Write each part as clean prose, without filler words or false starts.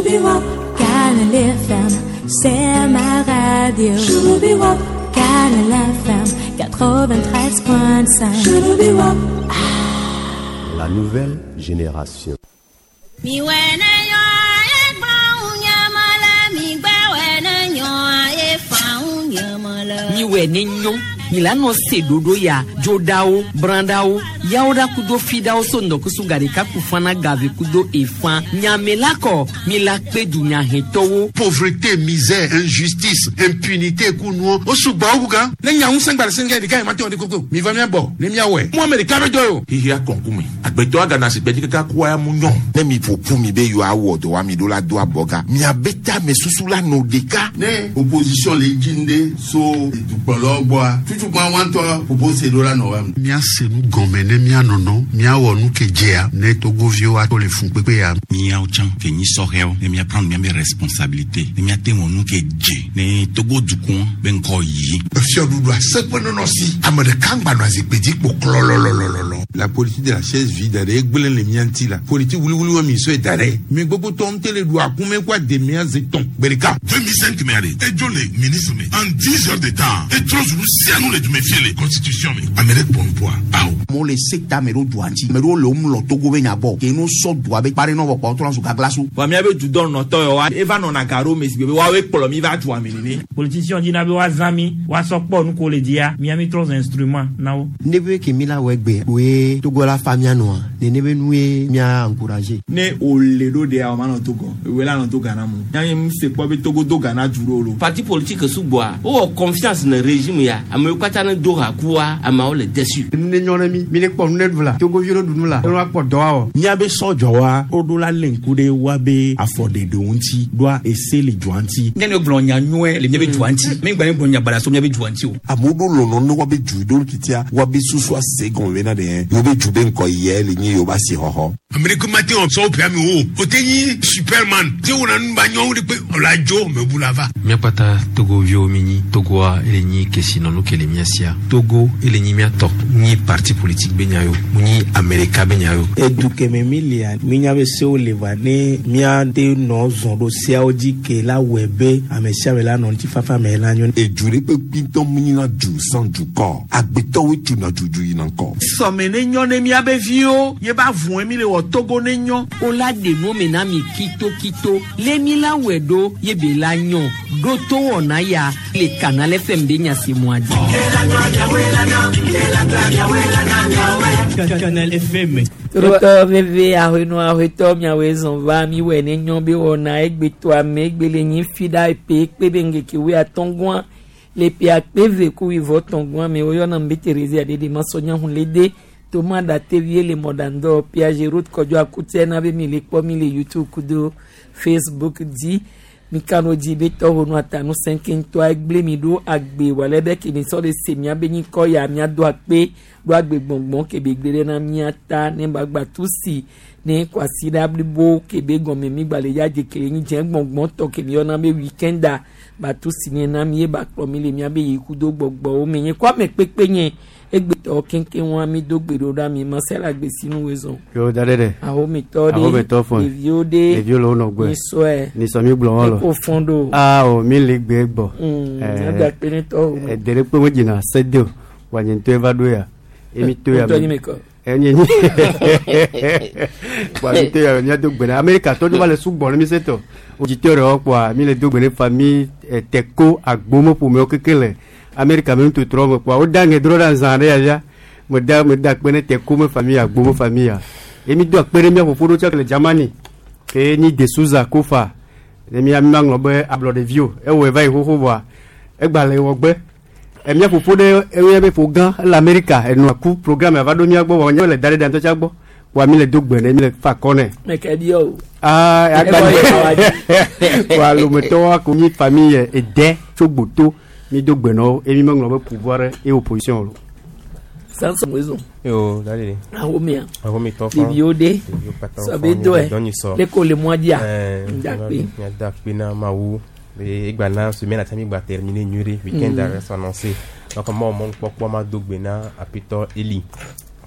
Canal FM, c'est ma radio. Canal FM 93.5. La nouvelle génération. Miwɛ ne nyɔ milano se dodo ya dzodawo brandawo yawoɖa kudo fidawo so ŋdɔkusu gaɖeka kufana gave kudo efã nyamelakɔ milakpe dunyahɛtɔwo. Pauvreté, misère, injustice, impunité kunuwo o sugbɔ wu gan. Ne nya ŋusẽ gba le sɛngɛ ɖeka yi ma te wɔ ɖe koko mi va mia bɔ ne mia wɔe. Mu ame ɖeka be dɔ ye o. Xixia kɔnkume agbetɔ agana si gbɛdzi kaka kua ya mu nyɔ. Ne mi ƒoƒu mi be yewoawɔ dɔ wa mi ɖo la do abɔga miabe tame susu la nɔ ɖeka. Ne opposition le dzi ŋɖe so dukplɔlawo gbɔa tutukpa wɔntɔ propose ɖo la nɔ wa. Míase nu gɔme ne míanɔnɔ míawɔ nu ke dzea ne togoviwo ato le fun kpekpe ya. Míawo tsã ke nyi sɔhɛwo ne míaprendre míabe responsabilité ne míate wɔ nu ke dze ne Togo dukɔ be ŋkɔ yi. Fiɔɖuɖu aseƒe nɔnɔ si ame ɖeka ŋgba nɔ azikpui dzi kpo klɔlɔlɔlɔlɔ. La politique de la chaise vide ɖe egblẽ le mía ŋuti la politique wuliwuli wa mi sɔe da ɖe mi gbogbo tɔ ŋute le ɖu akume kó ademia ze tɔn gbe ɖeka. 2005 mɛ de edzo le ministre me en 10 heures de temps etrɔ zulu sianu le dume fie le constitution me ame ɖe kpɔ nupoa awo. Amewo le sekta me ɖo dua ŋuti ame ɖewo le wo mlɔ Togo be nya gbɔ ke no sɔ dua be kpa ɖe nɔ vɔ kpɔ wotrɔ zu gaglasu. Wa míabe dudɔ nɔtɔ yɔ wa eva nɔna gaɖo me si be woawoe kplɔ mi va dua me nene. Politicien dina be woazã mi woasɔ kpɔ nu ko le dzia mía mi trɔ zu instrument na wo. Ne be ke mi la wɔ egbe woe Togo la fa mía nɔa nene be nue mía encourager. Ne o le ɖo ɖea o ma nɔ Togo ewoe la nɔ to Ghana mu míawo mi se kpɔ be Togo do Ghana du ɖo lo. Parti politique sugbɔa wowɔ confiance ne régime ya amewo katã ne do ha kua ameawo le déçu. Nu ne nyɔ ne mi mi ne kpɔ nu ne ɖu la Togoviwo ne ɖu nu la ne woakpɔ dɔ awɔ. Míabe sɔdzɔwa woɖo la lé ŋku ɖe woabe afɔɖeɖewo ŋuti ɖoa ese le dua ŋuti. Ne ne gblɔ nya nyuie le míabe dua ŋuti mi gba ne gblɔ nya baɖa so míabe dua ŋuti o. Amewo ɖo lɔlɔ ne woabe du ɖo titia woabe susu ase gɔme bena ɖe yewobe du be ŋkɔ yia le nyi yewobe asixɔxɔ. Ame ɖeke mate ŋu sɔ woƒe ame o o te nyi superman te wɔna nu ba nyɔwo ɖe kpe ɔla dzo mebu la va. Míakpata Togoviwo mi nyi Togoa ele nyi kesinɔnu ke le mía sia. Togo ele nyi mía tɔ nyi parti politique be nya yo mu nyi ame ɖeka be nya yo. Edu keme mi lia mínya be sewo le va ne míate nɔ zɔn ɖo seawo dzi ke la wɔe be ame sia ame la nɔ ŋutifafa me la nyo. Edu ɖe kpekpe ŋutɔ mu nyina du sans dukɔ agbetɔwoe tuna dudu yina ŋkɔ. Sɔme ne nyɔ ne míabe viwo ye ba vɔe mi le wɔ Togo ne nyɔ. O la ɖe nu me na mi kitokito le mi la wɔe ɖo ye be la nyɔ ɖo to wɔna ya le Canal FM be nya si mua dzi. Canal FM. Totɔ veve ahɔnɔ ahɔtɔ miawoe zɔn va mi wɔ ne nyɔ be wɔna egbetɔ ame egbe le nyi fi ɖa epe ekpe be ŋgeke woe atɔngua le pe akpe ve ku wivɔ tɔngua me woyɔna be Terezi aɖeɖe masɔnya hun le de toma ɖate vie le mɔɖaŋdɔ Piaget route kɔdzɔ akutɛ na be mi le kpɔ mi le YouTube kudo Facebook dzi mikano dzi be tɔwo nu atanu sɛnkɛntɔ egble mi ɖo agbe wòle be kemi sɔ le se mia be nyikɔ ya mia do akpe ɖo agbe gbɔngbɔn kebe gbe ɖe na mia ta ne gbagba tu si ne kwasi ɖa blibo kebe gɔme mi gba le ya dze kele nyi dze gbɔngbɔn tɔ kemi yɔna be weekenda batu si ne na mi ye ba kplɔ mi le mia be yi kudo gbɔgbɔwo me nye kɔ ame kpekpe nye egbetɔ keŋkeŋ wa mi do gbe ɖo ɖa mi masela gbe sinu wo zɔn. Yo da ɖe ɖe. Ahometɔ ɖe Ahometɔ fɔn. Ɖeviwo ɖe. Ɖeviwo le wo nɔ gbɔe. Nisɔe. Nisɔ mi gblɔ wɔn lɔ. Eko fɔn ɖo. Aa o mi le gbe gbɔ. Ɛɛ agba kpe ne tɔwo. Ɛdɛ ɖe kpe mo dzina se de o wa nye ŋutɔe va ɖo ya. Emi to ya. Ŋutɔ nyi me kɔ. Enye nyi. Wa mi to ya mía do gbe na Amerika tɔ ɖo va le sugbɔ ne mi se tɔ. Odzitɔ ɖewo kpɔa mi le do gbe ne famille Teko Agbome ƒomewo keke le Amerika me nutotrɔ me kpɔa wo da ŋe drɔ ɖe azã ɖe ya fia. Me da me da kpe ne Teko me famille Agbome famille ya. Emi do akpe ɖe mía fofo ɖo tsɔ le Germany. Ke nyi De Souza Kofa. Ne mía mi ma ŋlɔ be ablɔɖevi o. Ewɔe va yi xoxo vɔa egba le wɔ gbe. Emía fofo ɖe ewɔe be fo gã ele Amerika enua ku programme ava ɖo mía gbɔ vɔ nye le da ɖe ɖe ŋutɔ tsa gbɔ. Kpɔa mi le do gbe ne mi le fa akɔ nɛ. Mɛkɛ bi o. Aa agba Ɛbɔ yɛ wa dzi. Kpɔa lometɔwo ko nyi famille ede tso gboto mi do gbe nɔ emi me ŋlɔ be pouvoir et opposition o. Samson wezo. Yo, dale. Ahomea. Ahometɔ fɔn. Ɖeviwo ɖe. Ɖeviwo katã Sɔ fɔn. be dɔe. Dɔ nyi sɔ. Le ko le mɔa dzia. Ɛɛ, Ndakpe. Mía akpe na Mawu. Be egba na semaine ati mi gba terminer nyuie weekend mm. s'annoncer. Donc mɔ mɔ kpɔkpɔ ma do gbe na Apitɔ Eli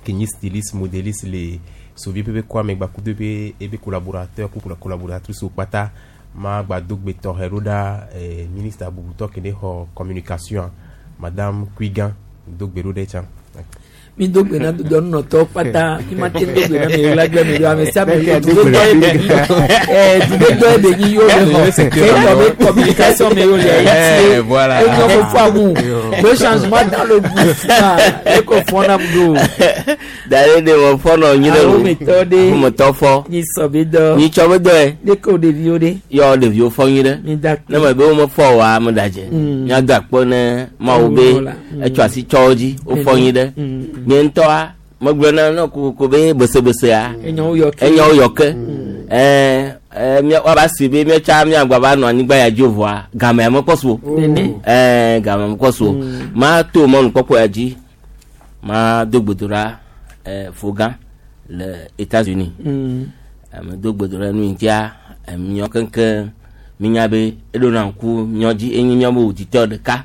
ke nyi styliste modéliste le Sovi ƒe kɔame gbakudo ebe ebe collaborateur ku collaboratrice wo kpata ma gba do gbe tɔxɛ ɖo ɖa ministre bubutɔ ke ne xɔ communication madame Kuigan do gbe ɖo ɖe tsã. Mi do gbe na dudɔ nunɔtɔwo kpata mi ma te do gbe na mi la gbe mi do ame sia ame dudɔ ye be nyi dudɔ ye be nyi yo le xɔ ke tɔ be communication me yo le Eh, voilà. Enyɔ fofo amu le changement dans le gouvernement e ko fɔ na mu do. Dare de mo fɔ nɔ nyi ɖe o. Ahometɔ ɖe. Ahometɔ fɔ. Nyi sɔ be dɔ. Nyi tsɔ be dɔ ye. Ne ko ɖeviwo ɖe. Yɔ ɖeviwo fɔ nyi ɖe. Mi da Ne me be wo me fɔ oa me da dze. Míado akpɔ ne Mawu be Mawu la. etsɔ asi tsɔ wo dzi wofɔ nyi ɖe. Nye ŋutɔa megblɔ na ne kokoko be besebesea. Enyawo yɔ ke. Enyawo yɔ ke. Ɛɛ ɛɛ mía woava si be míatsa míagba va nɔ anyigba ya dzi o vɔa gamea mekpɔ su o. Nene. Ɛɛ gamea mekpɔ su o. Ma to mɔnukpɔkpɔ ya dzi ma do gbedoɖa fogã le États-Unis. Ame do gbedoɖa nu yi ŋutia emiɔ keŋkeŋ minya be eɖona ŋku miɔ dzi enye miabe auditeur ɖeka.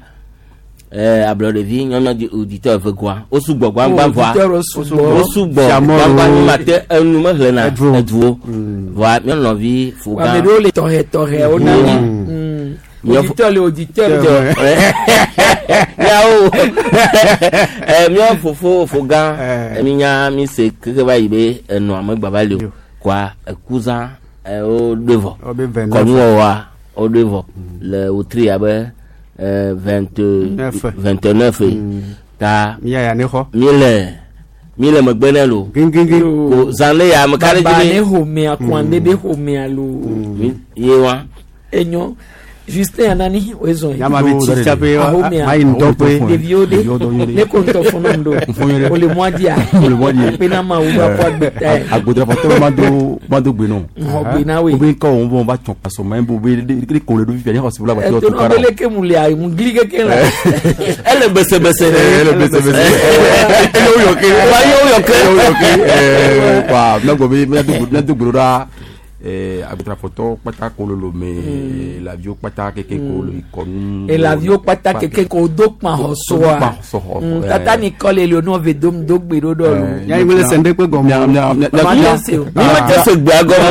Ablɔɖevi nyɔnyɔ di auditeur eve goa wo sugbɔ gbãgbã vɔa Auditeur wo sugbɔ. wo sugbɔ Siamɔro. gbãgbã mi ma te enu mehlena eduwo vɔa miɔ nɔvi fogã. Ame ɖewo le tɔxɛ tɔxɛ wo na mi. Auditeur le auditeur. Miawo miɔ fofo fogã minya mi se keke va yi be enɔa megba va li o koa ekuzã wo ɖoe vɔ kɔnuwɔwɔa wo ɖoe vɔ le wotri abe 29 ye ta mi le megbe nɛ lo ko zã ne ya ame ka ɖe dzi Baba be ne xɔmea kɔn be xɔmea lo. Ye wa. Enyo Justin Anani wezɔn ye. Yama be tsi tsape, Ahomea. ma yi ŋdɔ ƒe. Ɖeviwo ɖe. Ɖeviwo dɔ nyuie ɖe. Ne ko ŋutɔ fɔ nɔm do. O le mɔa dzia. O le mɔa dzi. Kpe na Mawu be akɔ agbe ta ye. Agbodra ma do ma do gbe nɔ. Xɔ gbe na woe. Wo be ŋkɔ wɔn bɔ va tsɔn pasɔ ma bo be de ko le ɖo fifia nye xɔ si bla ba Eto tu nɔ kara. be leke mu le ayi mu gli keke la. Ele besebese. Ele besebese. Ele wo yɔ ke. Wa ye wo yɔ ke. Ele wo yɔ ke. Wa mɛ gbɔ be mɛ do gbe ɖo ɖa. Agbetrafɔtɔ kpata kololo me laviwo kpata keke kolo ikɔnu. Elaviwo kpata keke ko do kpa xɔ soa. Kpa xɔ sɔ. Tata ni kɔ le le nɔ ve dom do gbe ɖo ɖɔ lo. Nya yi mele se ŋɖe kpe gɔme. Ma te se o. Mi ma te se gbea gɔme.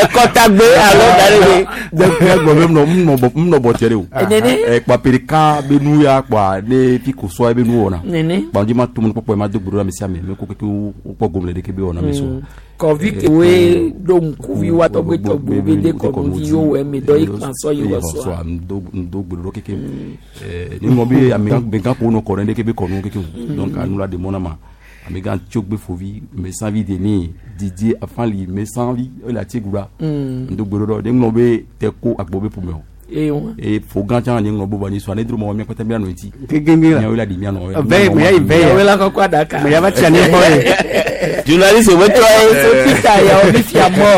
Ekɔtagbe alo da ɖe be. Mia gbɔ be munɔ bɔ tiɛ de o. Nene. Kpapereka be nu ya kpa ne fi ko sɔa be nu wɔna. Nene. Kpa dzi ma to mu kpɔkpɔ ma do gbe ɖo ɖe ame sia ame me ko keke wo kpɔ gome le ɖeke be wɔna me sɔ. Kɔvi kewoe ɖo ŋkuvi wa tɔgbe tɔgbe be de kɔnuvi yiwo wɔ eme dɔ yi kpa sɔ yi wɔ sɔa. Ndo gbe ɖo keke. Ni ŋlɔ be ame gã ko nɔ kɔ ɖe ɖeke be kɔnu keke o. Donc anu la de mɔ na ma. Ame gã tso gbe fovi mesanvi de ni Didier Afali mesanvi ele ati gura. Ndo gbe ɖo ɖe ŋlɔ be tɛ ko agbo be ƒome o. Eye wa. E fo gã tsã nye ŋlɔ bo ba ni sɔ ne dro mɔ mia kpata mia nɔ eti. Gengeng la. Miawo la di mia nɔ. Vɛ mɛ yi vɛ ya. Miawo la kɔkɔ aɖaka. Mɛ yava tsia ne gbɔ ye. Journaliste wo trɔ ye. So Peter yawo mi fia mɔ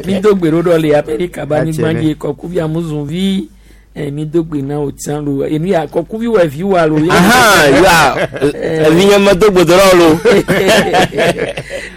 mi do gbe ɖo ɖɔ le Amerika ba anyigba dzi kɔkuvi amuzunvi mi do gbe na wo tsã lo enu ya kɔkuvi wɔ evi wa lo. Ahan ya evi nye me do gbe do ɖe lo.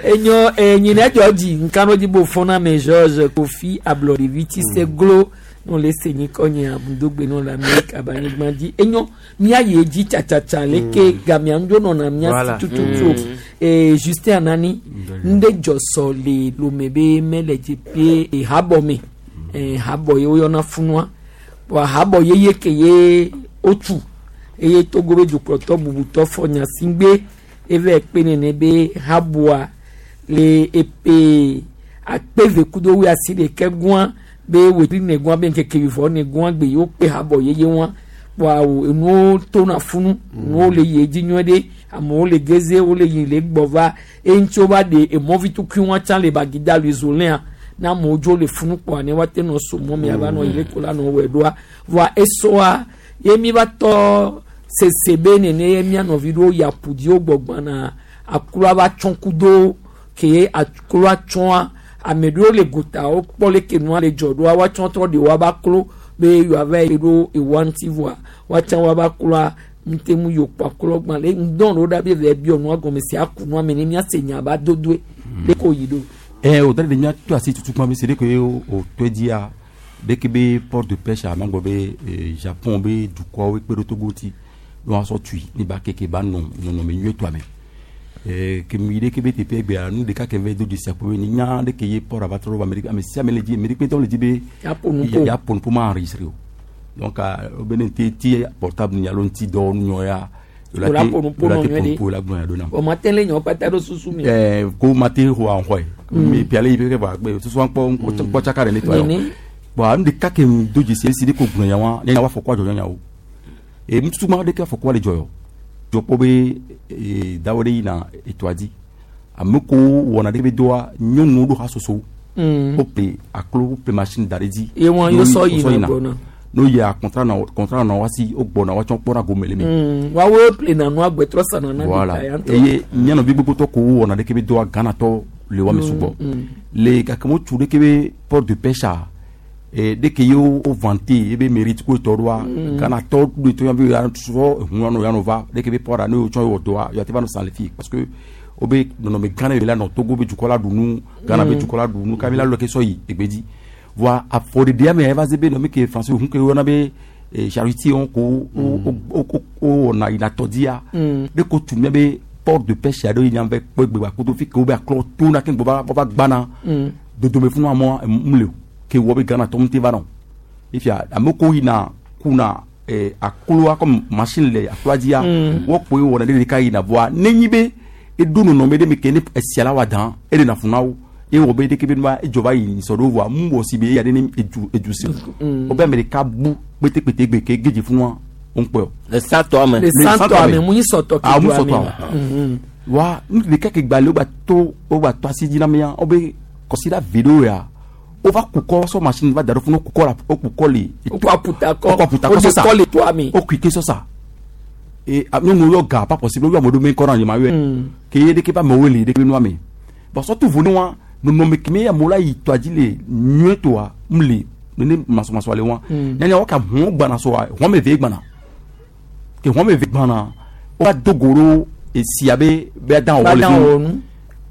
Enyo enyina dzɔ dzi nkano dzi bo fɔna me George Kofi ablɔɖevi tsi se glo no le se nyi kɔ nye amudogbe no le Amerika ba anyigba dzi enyo mía yi edzi tsatsatsa leke gamea ŋdzo nɔna mía Voilà. si tututu o Justin Anani ŋɖe dzɔ sɔ le lome be mele dzi pe habɔ me habɔ ye woyɔna funua wa habɔ yeye ke ye wotu eye Togo be dukplɔtɔ bubutɔ fɔ nyasigbe eve kpe nene be habɔa le epe akpeve kudo wi asi ɖeke gua be wetri ne gua be ŋkeke wivɔ ne gua gbe yewo kpe habɔ yeye wa wa o enuwo tona funu enuwo le yi edzi nyuie ɖe amewo le geze wo le yi le gbɔ va eŋutsi wo va ɖe emɔvi tukui wa tsã le bagida le zolea na amewo dzo le funu kpɔa ne woate nɔ so mɔ me ava nɔ yi le ko la nɔ wɔe ɖoa voa esɔa ye mi va tɔ sese be nene ye mia nɔvi ɖewo yi aƒu dzi wo gbɔgbɔna akroa va tsɔ kudo ke akroa tsɔa ame ɖewo le gota wokpɔ leke nua le dzɔ ɖoa woatsɔ trɔ ɖe woava klo be yewoava yi ɖo ewoa ŋuti voa woatsã woava kloa ŋutemu yi wokpɔ aklɔ gbã le ŋdɔn ɖewo ɖa be va biɔ nua gɔme si aku nua me ne míase nya ba dodoe leke woyi ɖo. O da de mia to asi tutu kpɔm se de ke o tɔe dzia de ke be port de pêche a magblɔ be Japon be dukɔwo kpe ɖe Togo ŋuti ne woasɔ tui ne ba keke ba nɔ nɔnɔme nyuietɔa me. Ke mi ɖe ke be teƒe gbea nu ɖeka ke ve do dzesi akpɔ be ni nya ɖe ke ye port ava trɔ va ame ɖe ame sia ame le dzi ame ɖe kpetɔ le dzi be Ya ƒo nu ƒo. ya ƒo nu ƒo ma enregistré o. Donc wo be ne te ti portable ni alo ŋuti dɔwɔnu nyɔ ya O la ƒo nu ƒo la nɔ te nyuie ƒo nu ɖe. ƒo la gblɔ ya ɖo nam. O ma te le nyawo kpata ɖo susu mi. Ko ma te xɔ axɔe. Mi piale yi ƒe vɔ agbe susua kpɔ kpɔ tsaka ɖe ne tɔ Nene. yɔ. Bon nu ɖeka ke mi do dzesi esi ɖe ko gblɔ nya wa ne wa fɔ kɔ adzɔ nya o. E nututu ma ɖeke afɔkua le dzɔ yɔ. Dzɔ kpɔ be dawo ɖe yina etoa dzi. Ame ko wɔna ɖe be doa nyɔnuwo ɖo hasoso. Wo ple aklo wo ple machine da ɖe dzi. Ye wɔn No yo sɔ yi- yina wo sɔ yina. gbɔna. No yia contrat na contrat na wasi wo gbɔna woatsɔ kpɔna gome le me. Woawo ple na nua gbɛtrɔ sana na Voilà. ɖeka ya ŋutɔ. Eye míanɔvi gbogbotɔ ko wɔna ɖeke be doa Ghanatɔ le wɔme sugbɔ. Le gake mo tu ɖeke be port de pêche a ɖeke ye wo vante ebe mérite ko tɔ ɖoa Ghanatɔ ɖo to yan be ya sɔ ehun yanɔ yanɔ va ɖeke be port a ne wotsɔ wɔ dɔa ya te va nɔ san le fi parce que wo be nɔnɔme gã ɖe le nɔ Togo be dukɔ la ɖu nu Ghana be dukɔ la ɖu nu kabi la lɔ ke sɔ yi egbedzi. Voa afɔɖeɖea me eva ze be nɔmi ke français hun ke woyɔna be charretier wɔn ko wo wo wo wɔna yina tɔdzia ɖe ko tu mía be port de pêche aɖewo yi nya be kpɔ egbe kodo fi ke wo be aklɔ tona ke gbɔ va va gbana dodome funu amewo mu le o ke wɔ be Ghana tɔ ŋuti va nɔ ifia ame ko yina kuna akloa comme machine le akloa dzia wɔkpoe wɔna ɖe ɖeka yina voa nenyi be eɖo nɔnɔme ɖe me ke ne esia la wa dan eɖe na funu na wo eye wɔ be ɖeke be nua edzɔ va yi sɔ ɖo voa mu wɔ si be eya ɖe ne edu edu si o be ame ɖeka bu kpetekpete gbe ke gedze funua wo ŋkpɔe o. Le santɔ me. Le santɔ ame mu nyi sɔtɔ ke Ah, mu dua sɔtɔ me. ame. Wa nu ɖeka ke gba le wo gba to wo gba to asi dzi na mía wo be kɔsiɖa ve ɖewo ya wova kukɔ sɔ machine va da ɖo funu kukɔ la wo kukɔ le. Wokɔ aputakɔ wokɔ aputakɔ wo de sɔsa kɔ le toa me. wo kui ke sɔsa e nyɔnuwo yɔ ga pas possible wo yɔ ame ɖewo me kɔ na nyema yɔe ke ye ɖeke be amewo le ɖeke be nua me bon surtout vo ne wa nɔnɔme keme amewo la yi toa dzi le nyuie toa mu le nene masɔmasɔ le wa nyanya wo ka hɔn gbana sɔa hɔn me ve gbana ke hɔn me ve gbana wo va do go ɖo esia be be dan Ba wɔ le dan fi wɔ nu.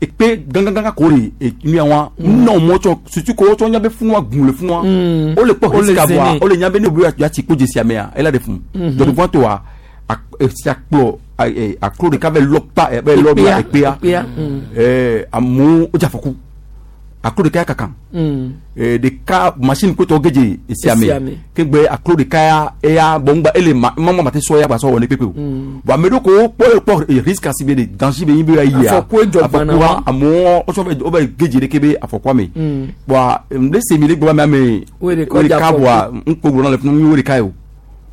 ekpe gãgãgã ko le enuya wa nɔ mɔ tsɔ sutu ko tsɔ nya be funua gun le funua o le kpɔ Wo le risque voa zene. o le nya be ne wo ya tsi kpo dzesi amea ela de fun dɔdɔfɔn to wa esia kplɔ aklo ɖeka bɛ lɔ pa bɛ lɔ Ekpea, ekpea ekpea, amewo wodze afɔku aklo ɖeka ya kaka ɖeka machine kotɔ gedze esia me Esia me. kegbe aklo ɖeka ya eya bɔngba ele ma mama ma te sɔ ya gba sɔ wɔ ne kpekpe o bon ame ɖewo ko kpɔ kpɔ risque asi be de danger be yin be ya yia Afɔkue dzɔ gbana afɔkua wa. amewo wotsɔ bɛ wo bɛ gedze ɖeke be afɔkua me bɔn ne se mi le gbɔ ame Wo ɖeka wo dze ɖeka afɔku. bɔa ŋkpo gblɔ na le funu mi wo ɖeka ye o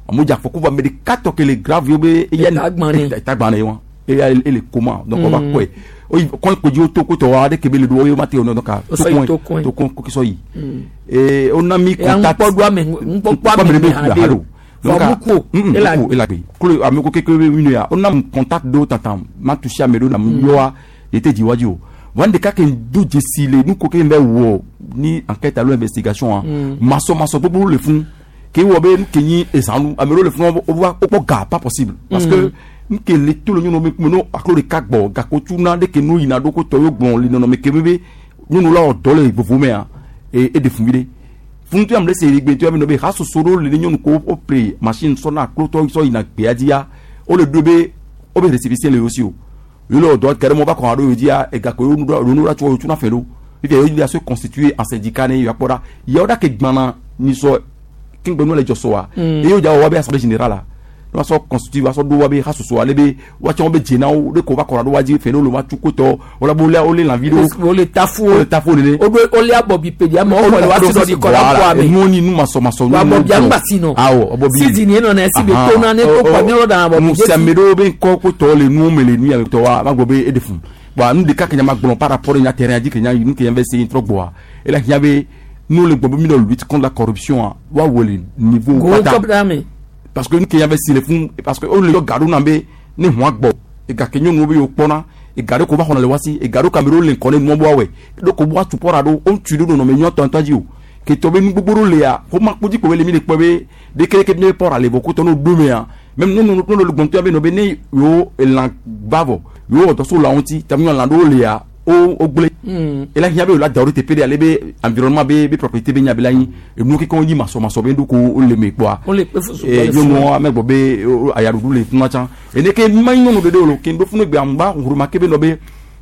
amewo dze afɔku vɔ ame ɖeka tɔ ke le grave ye be eya Eta gbã nɛ. eta gbã nɛ wa eya ele koma donc wo va kɔe oyi kɔn kodzi wo to kotɔ wa ɖeke be le ɖo wo ma te o donc Wo sɔ yi to kɔe. to kɔn ko sɔ yi ee wona mi Eya contact ŋukpɔ ɖo ame ŋukpɔkpɔ ame ame me ɖe haɖe be o. haɖe o. Donc, Vɔ muku ela muku ela gbe klo ame ko keke be nu ya wona mi contact ɖo tata ma touché ame ɖewo na mi yɔa ete dzi wa dzi o wɔn ɖeka ke do dzesi le nu ko ke bɛ wɔ ni enquête alo investigation a masɔmasɔ gbogbo le fún ke wɔ be nu ke nyi ezanu ame ɖewo le fún wo va wokpɔ ga pas possible parce que nu ke le to le nyɔnu me kume no aklo ɖeka gbɔ gako tu na ɖeke nu yina ɖo ko tɔ yo gblɔ le nɔnɔme ke be be nyɔnu la wɔ dɔ le vovo mea e eɖe fun vi ɖe funutu am ɖe se egbe to ame nɔ be hasoso ɖewo le ne nyɔnu ko wo ple machine sɔ na aklotɔ sɔ yina gbea dzia wole ɖo be wo be récépissé le wo si o yìí lọ dɔ kẹrẹ mọ bá kàn án lóye dzia egakpo yóò nu ɖa tso tuna fɛ do fífi yóò di se constituer en syndicat ne yóò akpɔ ɖa yawo ɖa ke gbana nisɔ kingbe nu le dzɔ sɔ wa eye yóò dza wɔ wa be assemblée générale la ne wa sɔ constituer wa sɔ ɖo wa be hasoso ale be wa tsɛ wo be dzena wo ɖe ko va kɔra ɖo wa dzi fɛ ne wo le wa tsu kotɔ wala bo le wo le lãvi ɖo wo le tafu wo le tafu nene wo ɖo wo le abɔbi peɖi amewo xɔ le wa si ɖɔ ɖi kɔ la kɔ ame. nuwo ni nu masɔmasɔ Wa abɔbi aŋgbasi nɔ. awɔ abɔbi Sidi ni enɔ na esi be to na ne to kɔ mi yɔrɔ dan abɔbi nusiame ɖewo be ŋkɔ ko tɔ le nuwo me le nu ya tɔ wa ma gblɔ be eɖe fun bɔn nu ɖeka ke nya ma gblɔ par rapport nya terrain dzi ke nya nu ke nya bɛ se trɔ gbɔa ele hiã be nu le gbɔ be mi nɔ lutte contre la corruption a wa wɔ le niveau Go kɔpita me. parce que nu ke nya bɛ si le fun parce que o le yɔ ga ɖo na be ne hɔn gbɔ ega ke nyɔnuwo be yewo kpɔna ega ɖe ko va xɔna le wa si ega ɖo kame ɖewo le ŋkɔ ne nua bɔ awɔe ɖo ko bɔ atu pɔra ɖo o ŋutsu ɖo nɔnɔme nyɔtɔ ŋutɔ dzi o ketɔ be nu gbogbo ɖo lea xɔma kpodzi kpo be le mi le kpɔ be ɖekeɖeke mi pɔra le vɔ kotɔ n'o do mea même ne nu le gbɔntɔ be nɔ be ne yewo elã gba vɔ yewo wɔ dɔ so lãwo ŋuti tami lã ɖewo lea o gblẽ ela hiã be o la da wo ɖe teƒe ɖe ale be environnement be be propriété be nya be la nyi enuwo kekeŋ nyi masɔmasɔ be ɖo ko wole me kpɔa Wole kpe fu sugbɔ Eh, le funu. nyɔnuwo ame gbɔ be ayaɖuɖu le funua tsã ene ke ma nyi nyɔnu ɖeɖe o lo ke ŋɖo funu gbe aŋgba ŋuruma ke be nɔ be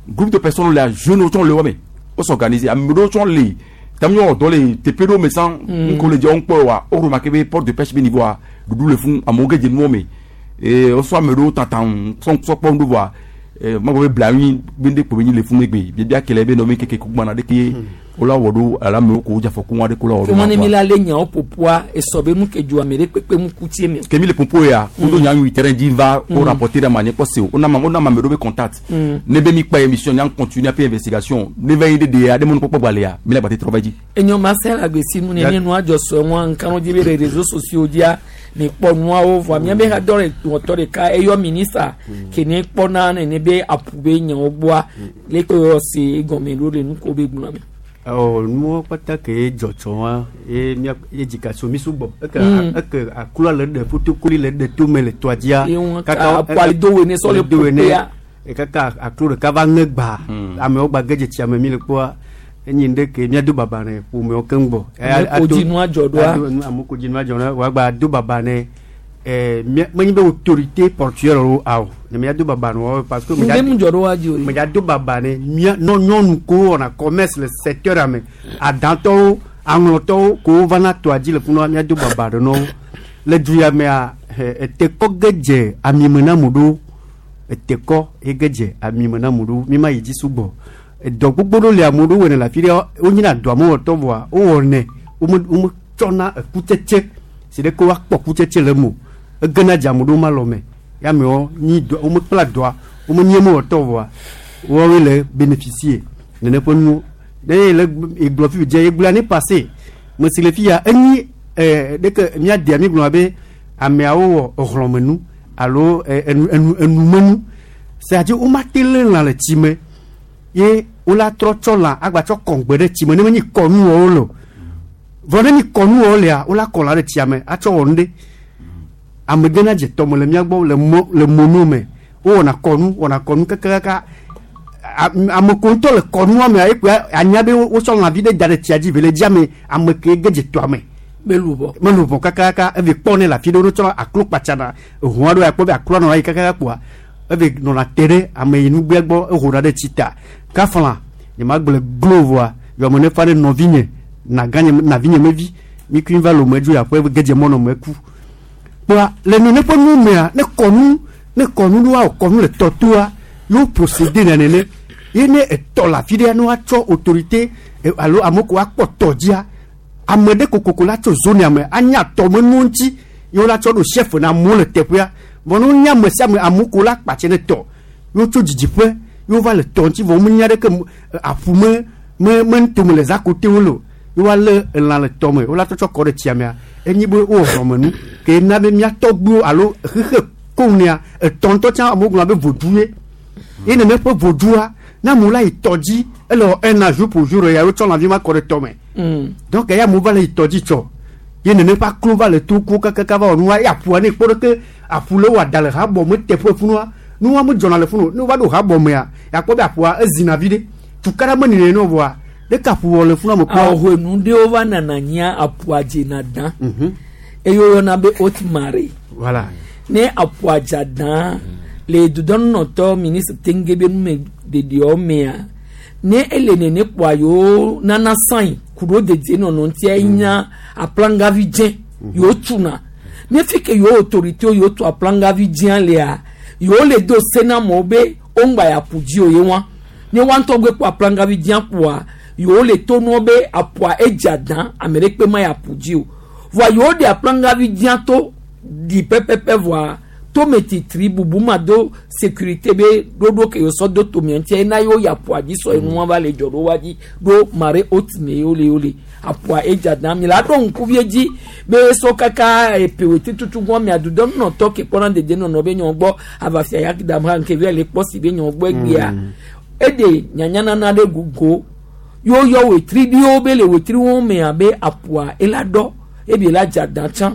groupe de personnes le jeunes tsɔ le wo me wo s'organiser ame ɖewo tsɔ le tam nyɔ dɔ le teƒe ɖewo me sã ŋko le dze wo ŋkpɔ wa wo remarqué be port de pêche be niveau a ɖuɖu le funu amewo ge dze nuwo me ee wosɔ ame ɖewo tata sɔ sɔ kpɔ ŋɖo voa ee magbɔ be blanui be ŋɖe kpo be nyi le funu egbe biabia kele be nɔ be keke ku gbana ɖeke wola wɔ ɖo alo amewo ko wodze afɔku aɖe ko la wɔ ɖo Ke ma ne mi kpoa. la le nyawo ƒoƒua esɔ be nu ke dzo ame ɖe kpekpe mu ku tie me. ke mi le popo ya woɖo nya nyui terrain dzi va wo rapporter ɖe ma nye kpɔ se o wona ma wona ma ame ɖewo be contact ne be mi kpa émission nya continue aƒe investigation ne va yi ɖe ɖe aɖe mɔnukpɔkpɔ gba lea mi le gbate trɔ va dzi. Enyo ma se la gbesi nu ne ne nua dzɔ sɔ ŋua nkanu dzi be le réseaux sociaux dzia mi kpɔ nuawo vɔa mía be ha dɔ le wɔtɔ ɖeka eyɔ minista ke ne kpɔna nene be aƒu be nyawo gbɔa le ke yɔ se egɔme ɖo le nu ko be gblɔ me. Ɔ nuwo kpata ke dzɔdzɔ wa ye mía ye dzika so mi sugbɔ eke eke akula le ɖe fotokoli le ɖe tome le tɔa dzia. Ye ŋu ka aƒua le do wene sɔ le do wene ƒoƒea. kaka aklo ɖeka va ŋe gba amewo gba ge dze tsia me mi le kpɔa enyi ŋɖe ke míado baba ne ƒomewo keŋ gbɔ. Ame ko dzi nua dzɔ ɖoa. Ame ko dzi nua dzɔ ɖoa wòagba do baba ne ɛɛ mía menye be autorité portuaire wo awo ne míado baba ne wɔwo parce que. Ŋɖe mu dzɔ ɖo wa dzi o. Mèdza do baba ne mía nɔ nyɔnu ko wɔna commerce le secteur me adãtɔwo aŋlɔtɔwo ko wovana tɔa dzi le funua míado baba ɖe nɔwo le du ya mea etekɔ ge dze amime na mu ɖo etekɔ ege dze amime na mu ɖo mi ma yi dzi sugbɔ edɔ gbogbo ɖewo le amewo ɖo wɔnɛ le afi ɖe wonyina dɔa mewɔtɔ vɔa wowɔnɛ wome wometsɔna ekutsetse si ɖe ke woakpɔ kutsetse le eme o egena dze ame ɖewo ma lɔ me ya amewo nyi dɔ womekpla dɔa womenye mewɔtɔ vɔa woawoe le bénéficier nene ƒe nuwo ne ye le egblɔ fi dze egblɔ année passée mesi le fi ya enyi ɛɛ ɖeke míadea mi gblɔ be ameawo wɔ exlɔmenu alo enu enu enumenu c'est-à-dire womate lé lã le tsi me ye wola trɔ tsɔ lã agbatsɔ kɔŋgbe ɖe tsi me ne menyi kɔnu wɔwo le o vɔ ne nyi kɔnu wɔwo lea wola kɔ lã ɖe tsia me atsɔ wɔ nu ɖe ame gena dze tɔme le mía gbɔ le mɔ le mono me wowɔna kɔnu wɔna kɔnu kakakaka ame ko ŋutɔ le kɔnua mea ekpe anya be wotsɔ lãvi ɖe da ɖe tsia dzi vele dzia me ame ke ge dze tɔa me melubɔ melubɔ kakaka eve kpɔ ne le afi ɖe wotsɔ aklo kpatsana ehua ɖo akpɔ be akloa nɔna yi kakaka kpoa eve nɔna te ɖe ame yi nugbea gbɔ eho ɖa ɖe tsi ta kafla nye ma gblɔ glo vɔa yɔme ne fa ɖe nɔvinye naganye navinye mevi mi kui va lome dzo aƒe ge dze mɔ nɔ me ku kpoa le nene ƒe nu mea ne kɔnu ne kɔnu ɖo awɔ kɔnu le tɔtoa yewo procédé na nene ye ne etɔ le afi ɖea ne woatsɔ autorité alo ame ko akpɔ tɔ dzia ame ɖe kokoko la tso zone me anya tɔmenuwo ŋuti ye wola tsɔ ɖo chef na amewo le teƒea vɔ ne wonya ame sia ame amewo ko la kpatse ne tɔ ye wotso dzidziƒe ye wova le tɔ ŋuti vɔ womenya ɖeke aƒu me me me ŋutome le zakote wo le o ye woalé elã le tɔ me wola tsɔtsɔ kɔ ɖe tsia mea enyi be wowɔ hlɔmenu ke na be mía tɔgbuiwo alo xexe koŋ etɔ ŋutɔ tsã amewo gblɔna be vodu ye ye nene ƒe vodua ne amewo la yi tɔ dzi ele wɔ un an jour pour jour ya wotsɔ lãvi ma kɔ ɖe tɔ me donc eya amewo va le yi tɔ dzi tsɔ ye nene ƒe aklo va le to ku kakaka va wɔ nua ye aƒua ne kpɔ ɖe ke aƒu le wɔ ada le habɔ me teƒe funua nua me dzɔna le funu ne wova ɖo habɔ mea yakpɔ be aƒua ezina vi ɖe tukaɖa me nene ne vɔa ɖeka aƒu wɔ le funua me kpɔ. Ahoenu ɖewo va nana nyia aƒua dzena dã eye woyɔna be haute marée. Voilà. Ne aƒua dza dã le dudɔnunɔtɔ ministre tenge be nume ɖeɖewo mea ne ele nene kpoa yewo nana sain ku ɖo dedienɔnɔ ŋutia enya aplangavi dzẽ yewo tuna ne fi ke yewo autorité yewo tu aplangavi dzẽa lea yewo le do se na amewo be woŋgba ya ƒu dzi o ye wa ne wa ŋutɔ gbe kpɔ aplangavi dzẽa kpoa yewo le to nua be aƒua edza dã ame ɖe kpe ma ya ƒu dzi o vɔa yewo ɖe aplangavi dzẽa to ɖi pɛpɛpɛ vɔa tome titri bubu ma do sécurité be ɖoɖo ke yewo sɔ do tomea ŋutia ena yewo yi aƒua dzi sɔ enua va le dzɔ ɖo wa dzi ɖo marée haute me yewo le yewo le aƒua edza dã mi la ɖo ŋkuvie dzi be sɔ kaka epe tutu gbɔ mia dudɔnunɔtɔ ke kpɔna dedienɔnɔ be nyɔ gbɔ avafia ya dam ha nke via le kpɔ si be nyɔ gbɔ egbea eɖe nyanyanana ɖe gogo yewo yɔ wetri ɖiwo be le wetri wo mea be aƒua ela ɖɔ ebi la dza dã tsã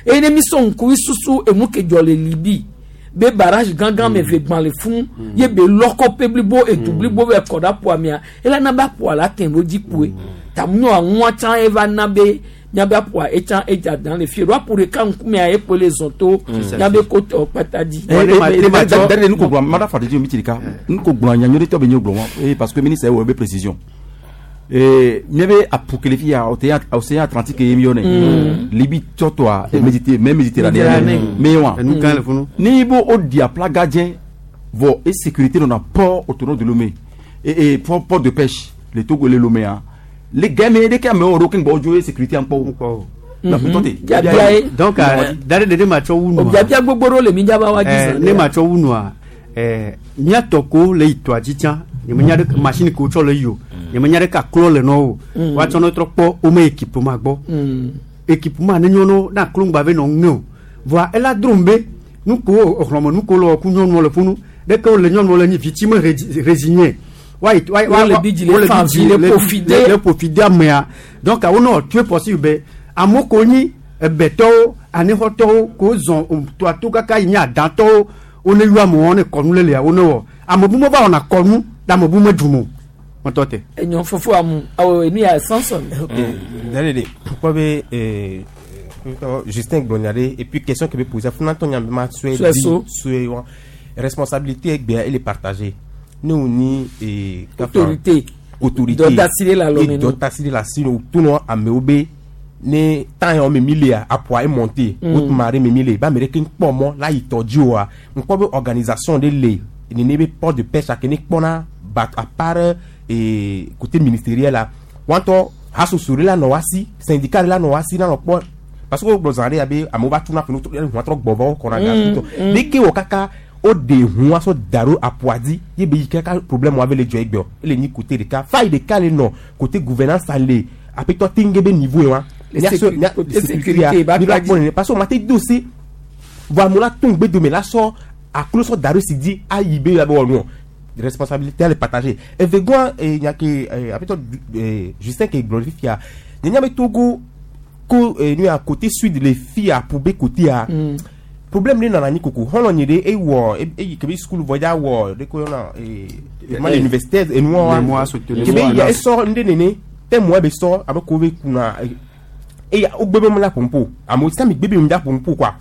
eye ne mi sɔ ŋkuvi susu enu ke dzɔ le Libi Be barrage gãgã me ve gbã le fún ye be lɔkɔ pe blibo edu blibo be kɔ ɖe aƒua mea ela na be aƒua la tɛ ɖo dzi kpoe tamu aŋua tsã eva na be miabe aƒua etsã edza dan le fie ɖo aƒu ɖeka ŋkumea ekpoe le zɔn to miabe kotɔ kpata dzi. Dare nu ko gblɔ mada fa de mi tirika nu ko gblɔ nya nyɔɖe tɔ be nye gblɔ wa eh parce que ministre wɔ be précision eh miabe apu kele fi ya océan Atlantique ye mi yɔ ne Libye tɔtɔa et Méditerranée mais Méditerranée mais wa Enu kan le funu. ni bo o di aplaga dze vɔ et sécurité nɔna port autonome de Lomé et port de pêche le Togo le Lomé hein les gars mais de ke amewo ɖo ke ŋgbɔ dzo ye sécurité ankpɔ o. Biabia ye. Donc dare ɖeɖe ma tsɔ wu nua. Biabia gbogbo ɖewo le mi dzaba wa dzi Eh, zã ne ma tsɔ wu nua míatɔ ko le yi tɔa dzi tsã nyemenya ɖe machine ko tsɔ le yi o nyemenya ɖe ka klɔ le nɔ o woatsɔ ne trɔ kpɔ wome équipement gbɔ équipement ne nyɔnu na klo ŋgba ve nɔ ŋe o voa ela drom be nuko exlɔme nuko le ku nyɔnuwo le funu ɖeke wo le nyɔnuwo le nyi vitime résigné wa yi wa Wole bi dzi le fan vi, le profiter. le profiter amea donc wonɔ tue possible be amewo ko nyi ebetɔwo anixɔtɔwo ko zɔn toa to kaka yi nye adatɔwo wone yɔ amewo ne kɔnu le lia wone wɔ ame bu me va wɔna kɔnu le ame bu me dum o mɔtɔ te. Enyɔ fofo amu awɔ enu ya Samson. Dalele, pourquoi be Justin gblɔ et puis question que be poser funatɔ nya be ma sɔe Sɔe di so. sɔe wa responsabilité egbea ele partagée ne wo ni Autorité. Autorité Dɔ da si ɖe le alɔme E nu. dɔ da si ɖe le asi nu to nɔ amewo be ne temps yawo me mi lea aƒua e monter haute marée me mi le ba ame ɖeke ŋkpɔ mɔ la yi tɔ dzi oa ŋkpɔ be organisation ɖe le nene be port de pêche ake ne kpɔna bateau à part côté ministériel la wɔntɔ hasoso ɖe la nɔ wa si syndicat ɖe la nɔ wa si la nɔ kpɔ parce que wo gblɔ zã ɖe ya be amewo va tuna fi ŋua trɔ gbɔ va wo kɔna ga Mm, tɔ ɖeke wɔ kaka o de ŋua sɔ da ɖo aƒua dzi ye be yi kaka problème wa be le dzɔ egbea ele nyi côté ɖeka faille ɖeka le nɔ côté gouvernance le aƒetɔ tenge be niveau ye wa Le Mía sɔ- mía- côté sécurité ya, sécurité, ba mi va kpa kpɔ nene parce que o ma te do se vɔ amewo la to ŋgbe dome la sɔ aklo sɔ da ɖo si dzi ayi be ya be wɔ nuɔ responsabilité le partager evegɔa nya ke aƒetɔ Justin ke gblɔ fifia nye nya be Togo ko nu ya côté sud le fi aƒu be côté ya problème ɖe nana anyi koko xɔlɔ nyi ɖe ewɔ eyi kebe school vɔ dza wɔ ɖe ko yɔna ma le université enuɔ wa Mémoire soutenu. kebe ya esɔ ŋɖe nene tɛ mɔ be sɔ abe ko be kuna eya wo gbe be mu la pompo amewo sami gbe be mu la pompo quoi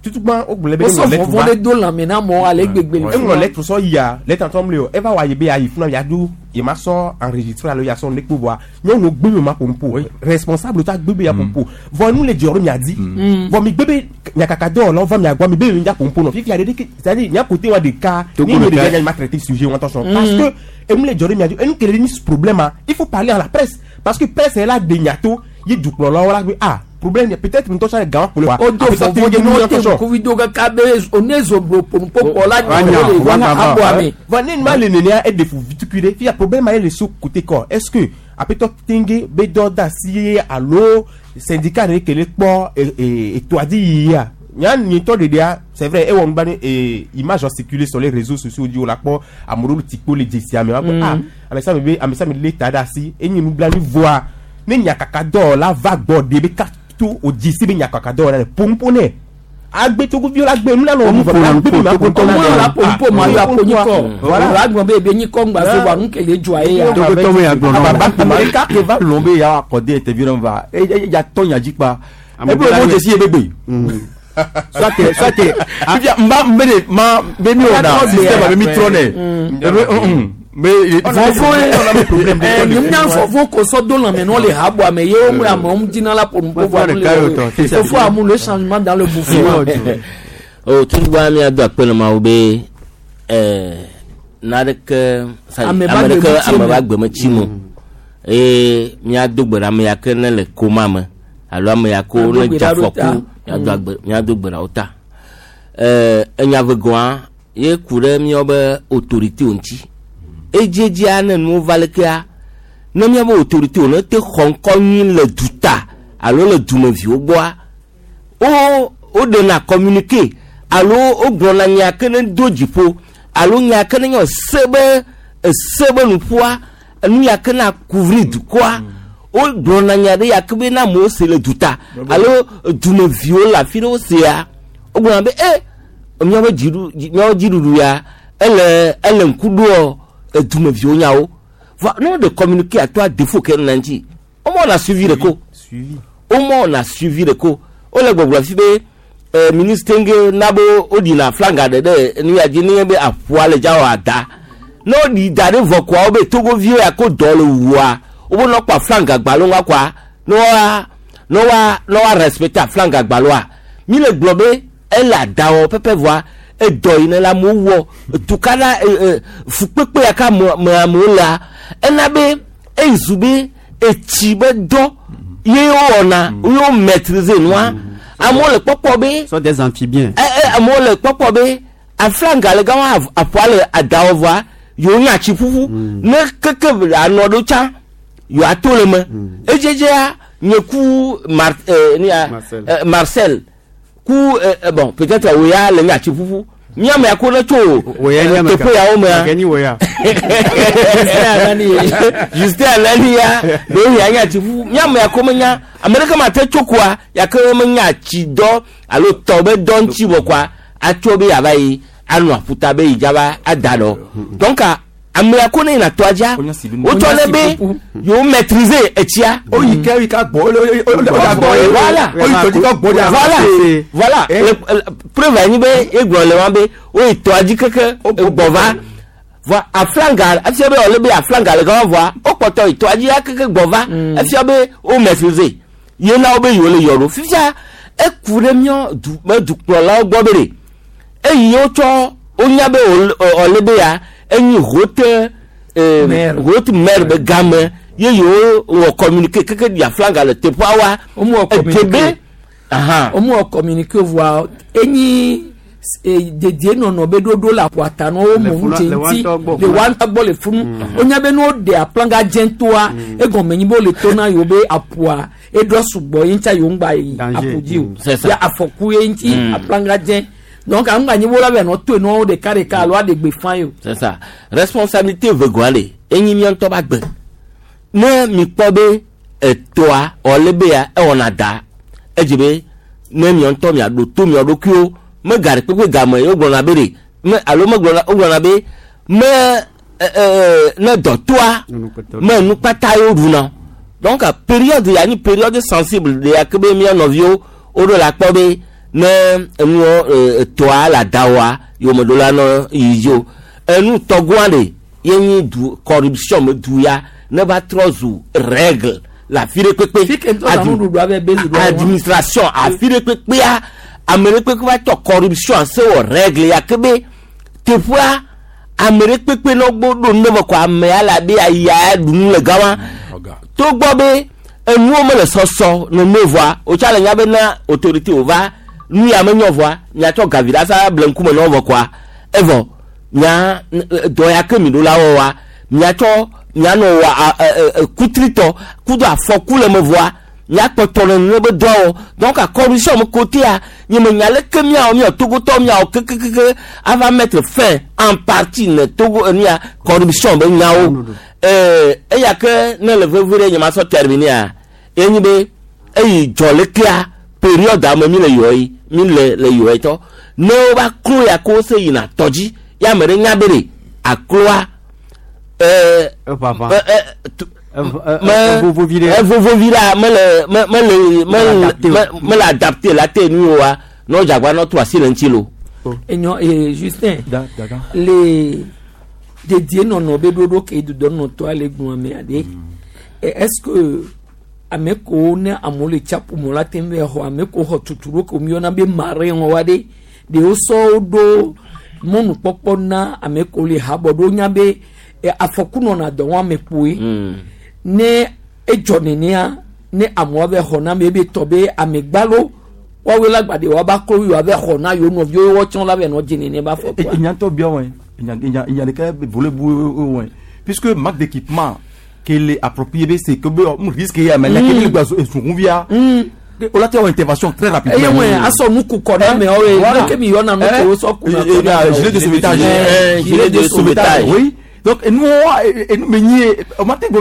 tutugba wo gblɔ be Wosɔ eŋlɔ lettre vɔvɔ va ɖe do lãme na amewo ale gbegbe le eŋlɔ fi ma. lettre sɔ yia lettre ŋutɔ mle o eva wɔ ayi be ayi funa ya do ye ma sɔ enregistré alo ya sɔ ne kpo vɔa nyɔnuwo gbe be ma pompo responsable ta gbe be ya pompo vɔ nu le dzɔ ɖo mia di vɔ mi gbe be nyakaka dɔwɔlawo va mia gbɔ mi be mi ya pompo nɔ fifia ɖe ɖeke c'est à dire mia côté wa ɖeka Togo ni mi ɖeka. ɖeka nya ma traité sujet wa attention parce que emu le dzɔ ɖo mia di enu kele ɖe ni problème a il faut parler à la presse parce que presse ye la de nyato ye dukplɔlawo la gbe ah problème peut-être ŋutɔ sɔ gã kple wa O do vɔvɔ ɖe ne wote ŋkuvi do kaka be one zoblo ƒonuƒoƒo la Wa nyɔ nya, le wa nya. aboa me. Vɔ ne ma le nenea e defu vitukui ɖe fia problème ye le so côté kɔ est-ce que aƒetɔ tenge be dɔ da si ye alo syndicat ɖe ke le kpɔ etoa dzi yiyia nya nyitɔ ɖeɖea c'est vrai ewɔ nubani image en circuler sur les réseaux sociaux dzi wo la kpɔ ame ɖewo le tikpo le dzesia me wa kpɔ ah ame sia ame be ame sia ame le ta ɖe asi enye nublanui voa ne nyakaka dɔwɔla va gbɔ ɖe be kato o dzesi be nyakaka dɔwɔla le pompo nɛ agbetogoviwo la gbe nu la nɔ Pompo na gbe nupo, ma togo pompo Ɔmɔ la pompo ma yɔ apo nyikɔ. Voilà. La gblɔ be ebe nyikɔ ŋgba so wa nu kele dzɔa ye ya. Togotɔ me ya gblɔ nɔ. Ame ɖeka ke va lɔn be ya accordé interview na va e e ya tɔ nya dzi kpa Ame ebe bla wo nye. dzesi ye be gbe. Soit soit Fifia nba nbe de ma be mi wɔ na système abe mi trɔ nɛ ebe be Vɔvɔ ye problème nyemnya vɔvɔ ko sɔ do lãme nɔ le haboa me ye wo mu amewo dina la ƒonuƒoƒo Vɔvɔ nu ɖeka le ye wòtɔ, wo fofo amu le changement dans le mouvement. O tugba miado akpe na mawu be naɖeke sa- Ame ba ame gbe ɖeke metsi ame me. ba gbe metsi me o. Eye míado gbe ɖe ame ya ke ne le koma me alo ame ya ke wo Míado ne gbe dze ɖa ɖo afɔku ta. míado gbe ɖe wo ta. Enya vegɔa ye ku ɖe míawo be autorité wo ŋuti. Edziedzia ne nuwo va lekea ne míabe autorité wo ne te xɔ ŋkɔ nyui le duta alo le dumeviwo gbɔa wo woɖena communiqué alo wogblɔna nya ke ne do dziƒo alo nya ke ne nye ese be ese be nuƒoa enu ya ke na couvrir dukɔa wogblɔna nya ɖe ya ke be na amewo se le duta alo dumeviwo le afi ɖe wosea wogblɔna be e Míaƒe dziɖu míaƒe dziɖuɖu ya ele ele ŋku ɖoɔ edumeviwo nyawo. Va ne woɖe communiqué atoa défaut ke nɔna ŋuti. Womewɔna suivi ɖe ko. Womewɔna suivi ɖe ko. Wole gbɔgblɔ fi be ministre ŋge na be woɖina flanga ɖe ɖe nu ya dzi nenye be aƒua le dza wɔ ada. Ne woɖi da ɖe vɔ koa wobe Togoviwo ya ko dɔ le wua wobe nɔ kpɔ aflanga gbalo ŋua koa ne woa ne woa ne woa respecter aflanga gbaloa. Mi le gblɔ be ele ada wɔ pɛpɛ vɔa edɔ yi ne le amewo wɔ tukaɖa fukpekpe ya ke ame me amewo lea ena be ezu be etsi be dɔ ye wowɔna ye wo maîtriser nua amewo le kpɔkpɔ be Sont des amphibiens. Amewo le kpɔkpɔ be aflanga le gama aƒua le ada wɔ vɔa yewo nya tsi ƒuƒu ne keke anɔ ɖo tsã yewoato le me edzedzea nye ku Mar nia Marcel. Marcel ku bon peut-être wo ya le nya tsi ƒuƒu míame ya ko ne tso Wo ya nye ame teƒe yawo mea Gake nyi wo ya. Justin Anani ya ɖewo ya nya tsi ƒuƒu míame ya ko menya ame ɖeke ma te tso koa yake menya tsi dɔ alo tɔ be dɔ ŋuti wɔ koa atso be yava yi anɔ aƒuta be yi dzava ada ɖɔ donc ame ya ko ne yina tɔa dzia wotsɔ ne be yewo maîtriser etsia. Oyi ke oyi ka gbɔ o le o le gbɔ ye. Voilà. Oyi tɔdzi ka gbɔ de. Voilà. Voilà. Preuve anyi be egblɔ le wa be woyi tɔa dzi keke gbɔ va vɔa aflanga efia be wòle be aflanga le gama vɔa wokpɔtɔ yi tɔa dzi ya keke gbɔ va efia be wo maîtriser ye na wo be yewo le yɔ ɖo fifia eku ɖe míɔ du me dukplɔlawo gbɔ be ɖe eyi wotsɔ wonya be wòle be ya enyi haute haute mer be game ye yewo wɔ communiqué keke ɖi aflanga le teƒea wa Womewɔ ede be ahan womewɔ communiqué voa enyi dedienɔnɔ be ɖoɖo le aƒua ta ne wo Le mɔ funu- ŋutse le ŋuti woatɔ gbɔ le funu. woatɔ gbɔ le funu wonya be ne woɖe aplanga dzẽ toa egɔme nyi be wole to na yewo be aƒua eɖɔ sugbɔ ye ŋutia yewo ŋgba yi Danger. aƒu dzi o C'est ça. ya afɔku ye ŋuti aplanga dzẽ donc aŋgba nyi wo la be nɔ toe nɔ ɖeka ɖeka alo aɖe gbe fã ye o. C'est ça. Responsabilité vegoa le enyi mía ŋutɔ ba gbe. Ne mi kpɔ be etɔa ɔle be ya ewɔna da edzi be ne mía ŋutɔ miaɖo to mia ɖokuiwo me ga ɖe kpekpe game ye wogblɔna be ɖe me alo megblɔna wogblɔna be me ɛ ɛ ne dɔtoa me nukpata ye woɖuna donc période ya nyi période sensible de ya ke be mía nɔviwo woɖo la kpɔ be ne enuɔ etɔa le ada wɔa yewo ɖo la nɔ yi dzi o enu tɔgɔa ɖe ye nyi du corruption me du ya ne va trɔ zu règle le afi ɖe kpekpe Fi ke ŋutɔ la nuɖuɖu abe bezi ɖo administration afi ɖe kpekpea ame ɖe kpekpe va tɔ corruption se wɔ règle ya ke be teƒea ame ɖe kpekpe ne wo ɖo nu ɖe me ko amea le abe aya ɖu nu le gama togbɔ be enuwo mele sɔsɔ nene vɔa wotsa le nya be na autorité wòva nu ya menyɔ vɔa miatsɔ gavi ɖe asa ble ŋkume na wo vɔ koa evɔ mia dɔ ya ke mi ɖo la wɔ wa miatsɔ mianɔ wɔ kutritɔ kudo afɔku le me vɔa miakpɔtɔ le nu be dɔ wɔ donc corruption me côté a nye me nya leke miawɔ miawɔ togotɔ miawɔ kekekeke ava mettre fin en partie ne togo enu ya corruption be nyawo eya ke ne le veve ɖe nye ma sɔ terminer enyi be eyi dzɔ lekea période ame mi le yɔ yi mi le le yɔ yi tɔ ne wova klo ya ko se yina tɔdzi ya ame ɖe nya be ɖe akloa Eʋaʋã. Me Evovovi ɖe. evovovi ɖa mele me mele mele mele adapté la te nu oa ne wodzagba ne wotrɔ asi le ŋuti lo. Enyɔ Justin le dedienɔnɔ be ɖoɖo ke dudɔnɔtɔa le gblɔ amea ɖe est ce que ame kewo ne amewo le tsaƒu me la te ŋu va xɔ ame kewo xɔ tutu ɖo ke míyɔna be marin wa ɖe ɖewo sɔ wo ɖo mɔnukpɔkpɔ na ame kewo le habɔ ɖo nya be afɔku nɔna dɔ wɔn ame kpoe ne edzɔ nenea ne amewo va xɔ na ame ebe tɔ be ame gbalo woawoe la gba de woaba klo yi woava xɔ na yewo nɔviwo wɔtsɔ la va nɔ dze nene ba fɔ kua. Ìyàntọ̀ bí wọn ìyàn nìkan volé bu wọn puisque manque d'équipement qu'il est approprié c'est que un risque ya mais la kele gba esunkun via o la tɛ o intervention très rapide. Eye wọn asɔ nuku kɔ na mɛ ɔye ne kemi yɔ na nuku sɔ kun na kɔ na mɛ. Gilet de sauvetage. Gilet de sauvetage. Oui, donc nous nous me nyi o ma te gbɔ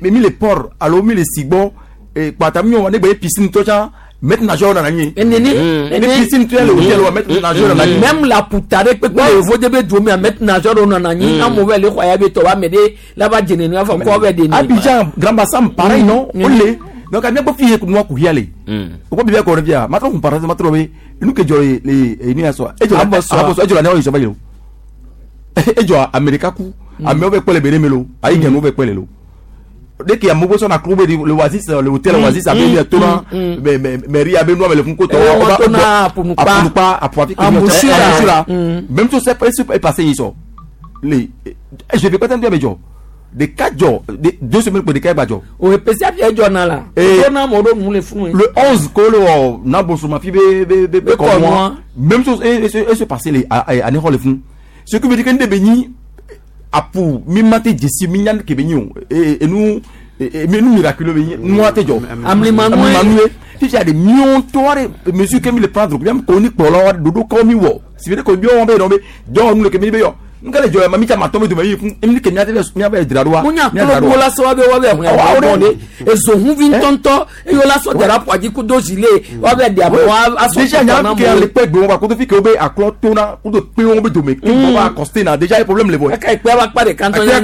be mi le port alo mi le sigbɔ kpata mi wɔn ne gbɛ piscine tɔ can Maître nageur nana anyi. Enene Ne piscine tu le hôtel wa maître nageur nana anyi. Même la puta ɖe kpekpe le yevo de be dome maître nageur ɖo nana anyi amewo va le xɔ ya be tɔ wa ame ɖe la va dzene nu afɔ kɔ va ɖe ni. Abidjan Grand Bassam pareil non o le donc a miagbo fi ye nua ku hia le o ko bibi akɔrɔ bia ma trɔ kun parenthèse ma trɔ be nu ke jɔ le le enu ya sɔ e jɔ abɔsɔ e jɔ la ne yɔ sɔ ba yi o e jɔ Amerika ku amewo bɛ kpɛ le bere me lo ayi gɛnu bɛ kpɛ le lo dès qu'il y a Mobo son akro le Oasis le hôtel Oasis a bien tona mais mais mais ria be no le funko to apunukpa apunukpa apuafi amusura même tout ça est passé ils sont les je vais pas t'en dire mais jo de quatre jours de 2 semaines pour de quatre jours. O pèsè àfi ẹjọ náà la. Ẹjọ náà mọ̀ ọ́dọ̀ mú lè fún mi. Le 11 ko le wɔ na bosoma fi be be be be kɔ moi même chose et se passer les année le fun ce qui veut dire que ne be nyi apu mi ma te jesi mi nya ke be nyi o et nous et nous miraculeux be nyi nous te jɔ. Amlimanue. Fifi a des millions de mesures que mi le prendre bien koni kpɔlɔ dodo kɔ mi wɔ si be ko bi wɔn be yɔ be dɔw nu le ke mi be yɔ nkele jɔ ma mi ta ma tɔmɛ dome yi fun emi ke miate miabe dzra ɖoa. Munya kolo la sɔ wa be wa be hun ya bɔ de ezohunvi ŋutɔŋutɔ eye wola sɔ dara ƒo kudo zile wa be ɖe abɔ wa asɔ Déjà nya ke le kpe gbe wa kudo fi ke wo be aklɔ tona kudo kpe wo be dome ke wo ba accosté na déjà problème le bɔ. Eka ekpe wa kpa ɖeka ŋutɔ nye.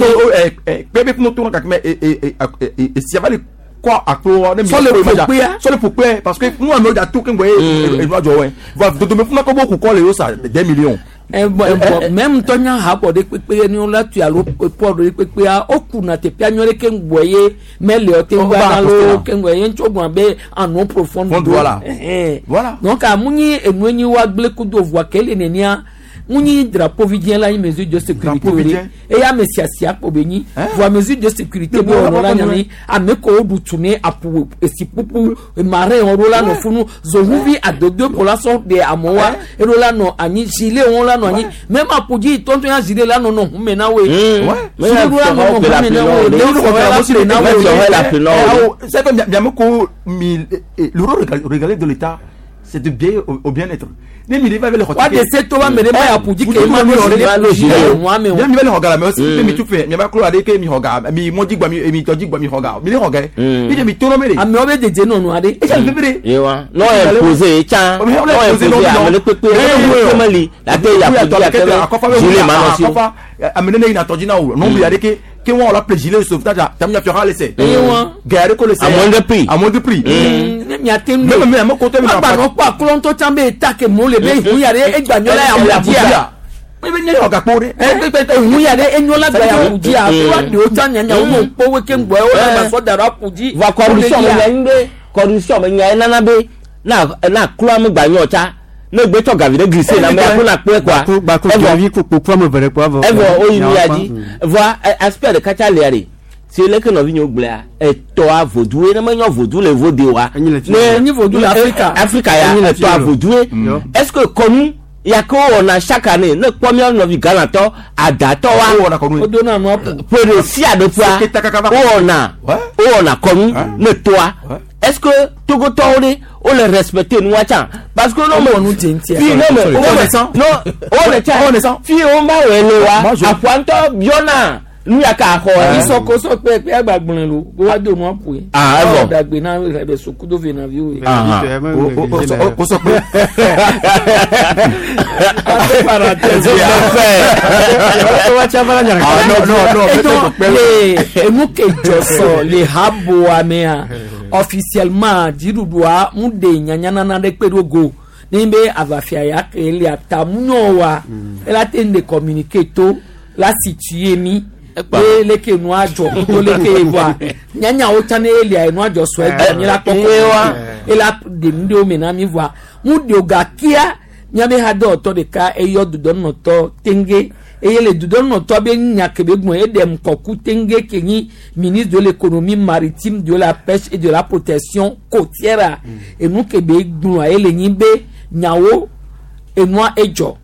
Kpe be funu tona kake mɛ e sia va le kɔ aklo ne mi. Sɔ le ƒo kpea. Sɔ le ƒo kpea parce que nu amewo dza to keŋgbɔ ye enua dzɔ wɛ va dodome funu kɔ bo ku kɔ le yo sa des millions. Même ŋutɔ nya habɔ ɖe kpekpe ne wola tu alo pɔ ɖe kpekpea wo kuna teƒea nyɔ ɖe keŋgbɔ ye mele o te ŋgɔ ana lo keŋgbɔ ye ŋutsu gblɔ be en profond. Voilà. Voilà. Donc amunyi enue nyi wa gblẽ kudo voa ke le nenia ŋunyi drapeau vi dzẽ la nyi mesure de sécurité o de eye ame siasia kpo be nyi voa mesure de sécurité be wɔnɔ la nyani ame ko woɖu tu ne apu esi kpupu marin wɔn ɖo la nɔ funu zohuvi adodo ko la sɔ de amewoa eɖo la nɔ anyi gilet wɔn la nɔ anyi même apudzi tɔntɔn ya gilet la nɔ nɔ hume na woe gilet ɖo la nɔ nɔ hume na woe ɖewo la ƒle na woe. C'est que miame mi le rôle régalé de l'État c'est de bien au bien-être. Ne mi va le wa de se to wa mere ma ya puji ke ma no gilet wa me o. Mi va le hoga la mais aussi mi tu fait mi va klo ade ke mi hoga mi mo digba mi mi to digba mi hoga mi le hoga. Mi de mi to no mere. Ame o be deje no no ade. E ja le bere. Yewa. No imposer cha. No imposer amele pepe. Meli la te ya puji akebe. Gilet ma no si. Amene ne ina tɔdzi na o non mi ade ke ke wɔn la ple gilet sauvetage tam ya fiɔha le sɛ. Gɛrɛ ko le sɛ. À moindre prix. À moindre prix. Ne miate nu. Même mi ame kote mi ma. Agba nɔ kpɔ aklɔ ŋutɔ tsã be ta ke mo le be hu ya ɖe egba nyɔ la ya ƒu dzia. Mi be nye yɔ gakpo ɖe. Hu ya ɖe enyo la gba ya ƒu dzia. Wa ɖewo tsã nyanya wo me kpɔ wo ke ŋgbɔ wo la gba sɔ da ɖe aƒu dzi. Va corruption me nya ŋgbe corruption me nya enana be na na klɔ ame gba nyɔ tsa ne gbe tsɔ gavi ɖe glissé na me ko na kpɔe quoi. Gbàgbọ́ gavi ko kpokpo ame eve ɖe kpɔ avɔ. Evɔ woyi nu ya dzi vɔa aspect ɖeka tsa lia ɖe si leke nɔvi nyewo gblɔa etɔa vodue ne menye vodu le vode wa. Ne nye vodu le Afrika. Afrika ya etɔa vodue est ce que kɔnu ya ke wowɔna chaque année ne kpɔ mía nɔvi Ghanatɔ adatɔ wa wodona nua ƒo. Ƒe ɖe sia ɖe ƒea wowɔna kɔnu ne toa est ce que togotɔwo ɖe wole respecter nua tsã parce que no me fi ne me no wole tsã fi wo ma wɔe le wa aƒua ŋutɔ biɔna nu ya ka xɔ yɛ. Isɔkosɔ kpe kpe agbagblẽ lo ko wa do nua ƒoe. Aa evɔ. Dagbe na ɛbɛ sokudo ve na vi wo ye. O sɔ kpe. Le enu ke dzɔsɔ le haboa mea officiellement dziɖuɖua mu de nyanyanana ɖe kpe ɖo go ne be avafia ya ke le atamunyɔ wa ela te de communiquer to la situer mi ye leke nua dzɔ kudo leke voa nyanyawo tsã ne elia nua dzɔ sɔ egbe mi la kpɔ kɔ ela de nu ɖewo me na mi voa mu de o gakia miabe hadɔwɔtɔ ɖeka eyɔ dudɔnɔtɔ tenge eye le dudɔnɔtɔ be nya ke be gblɔ eɖe ŋkɔku tenge ke nyi ministre de l'économie maritime de la pêche et de la protection côtière enu ke be gblɔa ele nyi be nyawo enua edzɔ